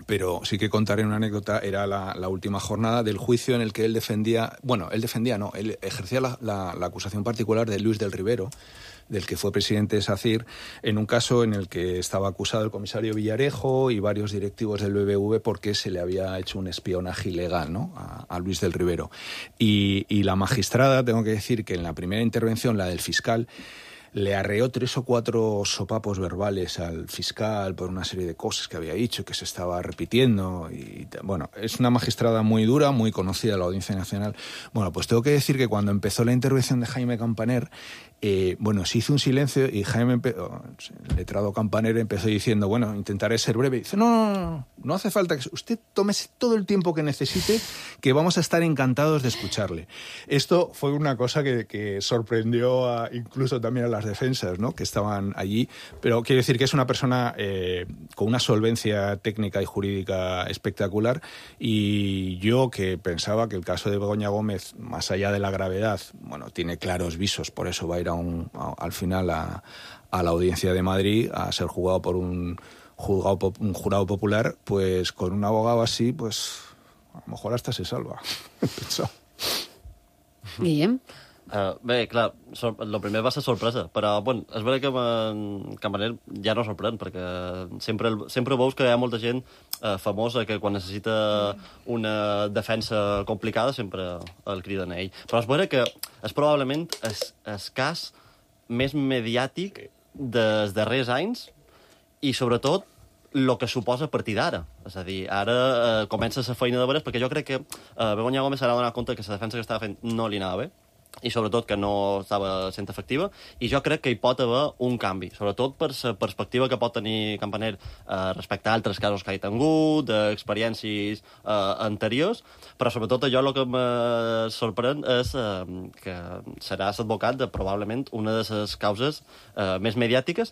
pero sí que contaré una anécdota. Era la, la última jornada del juicio en el que él defendía, bueno, él defendía, no, él ejercía la, la, la acusación particular de Luis del Rivero, del que fue presidente de SACIR, en un caso en el que estaba acusado el comisario Villarejo y varios directivos del B B V porque se le había hecho un espionaje ilegal, ¿no?, a, a Luis del Rivero. Y, y la magistrada, tengo que decir que en la primera intervención, la del fiscal, le arreó tres o cuatro sopapos verbales al fiscal por una serie de cosas que había dicho, que se estaba repitiendo. Y bueno, es una magistrada muy dura, muy conocida de la Audiencia Nacional. Bueno, pues tengo que decir que cuando empezó la intervención de Jaime Campaner, eh, bueno, se hizo un silencio y Jaime, el letrado Campaner, empezó diciendo, bueno, intentaré ser breve. Y dice, no, no, no, no hace falta que usted tómese todo el tiempo que necesite, que vamos a estar encantados de escucharle. Esto fue una cosa que, que sorprendió a, incluso también a las defensas, ¿no?, que estaban allí, pero quiero decir que es una persona eh, con una solvencia técnica y jurídica espectacular, y yo, que pensaba que el caso de Begoña Gómez, más allá de la gravedad, bueno, tiene claros visos, por eso va a ir a un, a, al final a, a la Audiencia de Madrid a ser juzgado por un, juzgado, un jurado popular, pues con un abogado así, pues a lo mejor hasta se salva. Guillem? Uh, bé, clar, sor el primer va ser sorpresa, però bueno, és vera que en Campaner ja no sorprèn, perquè sempre, el, sempre veus que hi ha molta gent uh, famosa que quan necessita una defensa complicada sempre el criden a ell. Però és vera que és probablement el, el cas més mediàtic dels darrers anys, i sobretot el que suposa a partir d'ara. És a dir, ara eh, comença la feina de veres, perquè jo crec que eh, Begoña Gómez s'ha donat compte que la defensa que estava fent no li anava bé, i sobretot que no estava sent efectiva, i jo crec que hi pot haver un canvi, sobretot per la perspectiva que pot tenir Campaner eh, respecte a altres casos que ha tingut, d'experiències eh, anteriors, però sobretot allò el que me sorprèn és eh, que serà l'advocat de probablement una de les causes eh, més mediàtiques,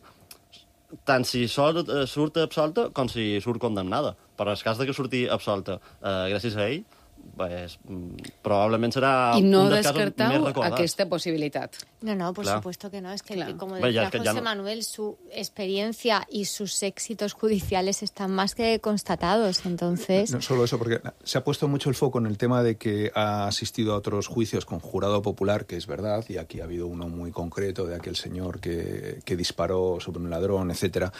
tant si surt, eh, surt absolta com si surt condemnada. Però en el cas de que surti absolta eh, gràcies a ell, pues, probablement serà I no un dels casos més descartau recordats. aquesta posibilitat. No, no, por Claro. supuesto que no. Es que, Claro. como Bueno, decía ya, es que José ya no- Manuel, su experiencia y sus éxitos judiciales están más que constatados. Entonces, No solo eso, porque se ha puesto mucho el foco en el tema de que ha asistido a otros juicios con jurado popular, que es verdad, y aquí ha habido uno muy concreto de aquel señor que, que disparó sobre un ladrón, etcétera.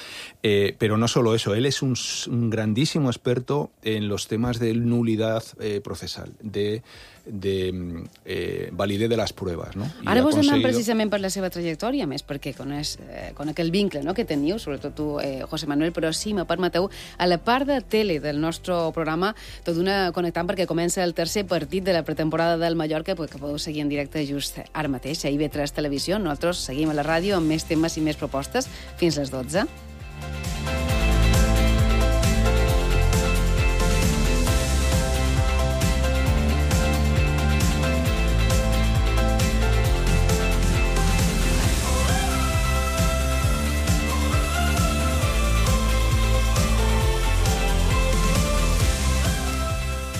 Eh, pero no solo eso, él es un, un grandísimo experto en los temas de nulidad eh, procesal, de, de eh, validez de las pruebas, ¿no? Y Ara ha vos anem conseguido- precisament per la seva trajectòria, més perquè coneix, eh, conec el vincle no?, que teniu, sobretot tu, eh, José Manuel, però sí, me permeteu, a la part de tele del nostre programa, tot una connectant perquè comença el tercer partit de la pretemporada del Mallorca, que podeu seguir en directe just ara mateix, a I V tres Televisió. Nosaltres seguim a la ràdio amb més temes i més propostes fins les dotze.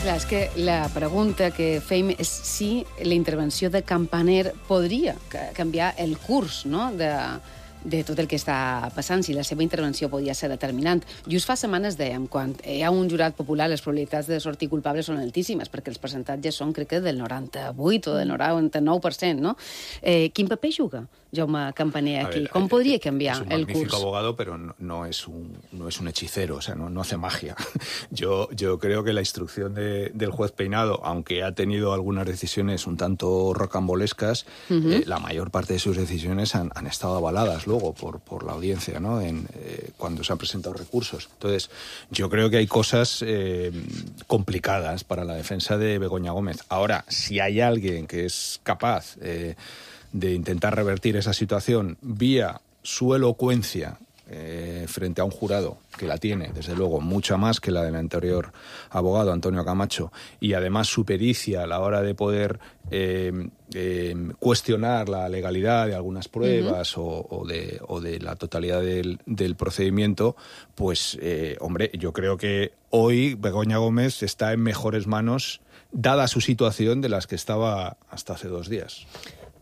Clar, és que la pregunta que fem és si la intervenció de Campaner podria ca- canviar el curs, no?, de, de tot el que està passant, si la seva intervenció podia ser determinant. Just fa setmanes dèiem, quan hi ha un jurat popular, les probabilitats de sortir culpables són altíssimes, perquè els percentatges són, crec que, del noranta-vuit o del noranta-nou per cent, no? Eh, quin paper juga Jaume Campaner A aquí? ver, Com eh, podria canviar es un el magnífico curs? abogado, pero no, no es un no es un hechicero, o sea, no, no hace magia. Yo yo creo que la instrucción de, del juez Peinado, aunque ha tenido algunas decisiones un tanto rocambolescas, Ujú. eh, la mayor parte de sus decisiones han, han estado avaladas luego por por la audiencia, ¿no? En, eh, cuando se han presentado recursos. Entonces, yo creo que hay cosas eh, complicadas para la defensa de Begoña Gómez. Ahora, si hay alguien que es capaz eh, de intentar revertir esa situación vía su elocuencia eh, frente a un jurado, que la tiene, desde luego, mucha más que la del anterior abogado, Antonio Camacho, y además su pericia a la hora de poder eh, eh, cuestionar la legalidad de algunas pruebas uh-huh. o, o, de, o de la totalidad del, del procedimiento, pues, eh, hombre, yo creo que hoy Begoña Gómez está en mejores manos, dada su situación, de las que estaba hasta hace dos días.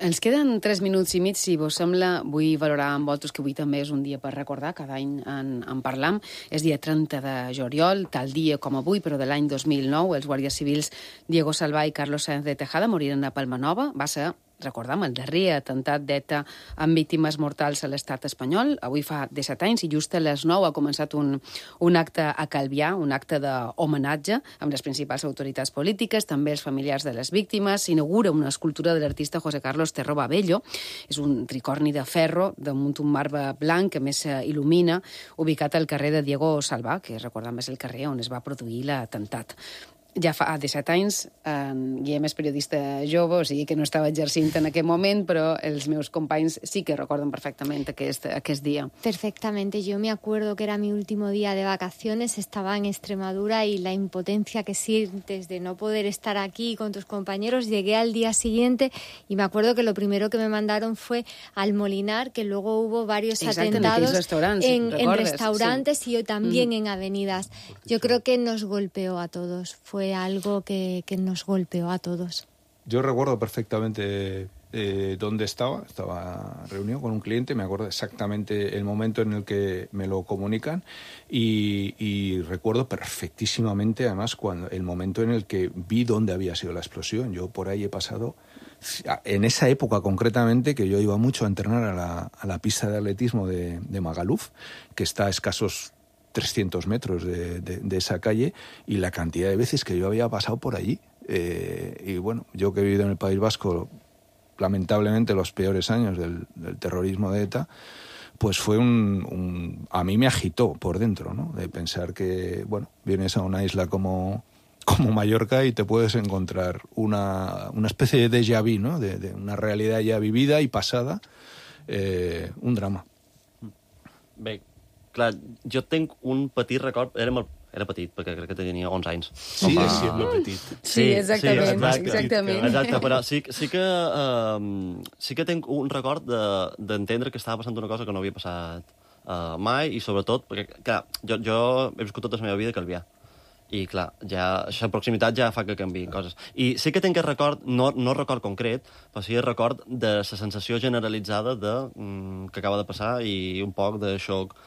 Ens queden tres minuts i mig, si vos sembla. Vull valorar amb vosaltres que avui també és un dia per recordar, cada any en, en parlam. És dia trenta de juliol, tal dia com avui, però de l'any dos mil nou, els guàrdies civils Diego Salvà i Carlos Sáenz de Tejada moriren a Palmanova. Va ser, recordam, el darrer atemptat d'ETA amb víctimes mortals a l'estat espanyol. Avui fa disset anys i just a les nou ha començat un, un acte a Calvià, un acte d'homenatge amb les principals autoritats polítiques, també els familiars de les víctimes. S'inaugura una escultura de l'artista José Carlos Terró Babello. És un tricorni de ferro damunt un marbre blanc que més il·lumina, ubicat al carrer de Diego Salvà, que recordam és el carrer on es va produir l'atemptat. Ja fa disset anys, en Guillem és periodista jove, o sigui que no estava exercint en aquell moment, però els meus companys sí que recorden perfectament aquest, aquest dia. Perfectamente. Yo me acuerdo que era mi último día de vacaciones, estaba en Extremadura y la impotencia que sientes de no poder estar aquí con tus compañeros. Llegué al día siguiente y me acuerdo que lo primero que me mandaron fue al Molinar, que luego hubo varios Exacte, atentados en, restaurants, en, en recordes, restaurantes sí. y también Mm. en avenidas. Yo creo que nos golpeó a todos. Fue Fue algo que, que nos golpeó a todos. Yo recuerdo perfectamente eh, dónde estaba. Estaba reunido con un cliente, me acuerdo exactamente el momento en el que me lo comunican y, y recuerdo perfectísimamente, además, cuando el momento en el que vi dónde había sido la explosión. Yo por ahí he pasado, en esa época concretamente, que yo iba mucho a entrenar a la, a la pista de atletismo de, de Magaluf, que está a escasos trescientos metros de, de, de esa calle, y la cantidad de veces que yo había pasado por allí. Eh, y bueno, yo que he vivido en el País Vasco, lamentablemente, los peores años del, del terrorismo de ETA, pues fue un, un... A mí me agitó por dentro, ¿no? De pensar que, bueno, vienes a una isla como, como Mallorca y te puedes encontrar una, una especie de déjà vu, ¿no? De, de una realidad ya vivida y pasada, eh, un drama. Bé, clar, jo tinc un petit record... Era, molt, era petit, perquè crec que tenia onze anys. Sí, Home, és siempre petit. Sí, exactament, sí, exacte, exactament. Exacte, però sí, sí, que, uh, sí que tinc un record d'entendre de, que estava passant una cosa que no havia passat uh, mai, i sobretot, perquè, clar, jo, jo he viscut tota la meva vida a Calvià. I, clar, ja, aquesta proximitat ja fa que canviïn coses. I sí que tinc el record, no, no record concret, però sí el record de la sensació generalitzada de, mm, que acaba de passar i un poc de xoc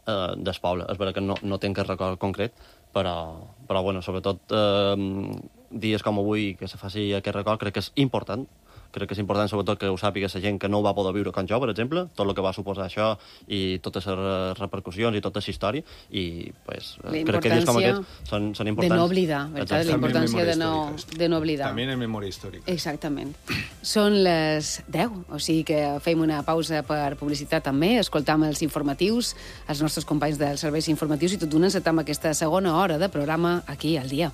eh, del poble. És veritat que no, no tinc el record concret, però, però bueno, sobretot eh, dies com avui que se faci aquest record crec que és important. Crec que és important, sobretot, que ho sàpiga la gent que no ho va poder viure com jo, per exemple, tot el que va suposar això i totes les repercussions i tota la història, i pues, crec que dies com aquests són, són importants. De no oblidar, ¿verdad? La importància de no, de no oblidar. També en memòria històrica. Exactament. Són les deu, o sigui que fem una pausa per publicitat també, escoltam els informatius, els nostres companys dels serveis informatius, i tot d'una encetam aquesta segona hora de programa aquí al dia.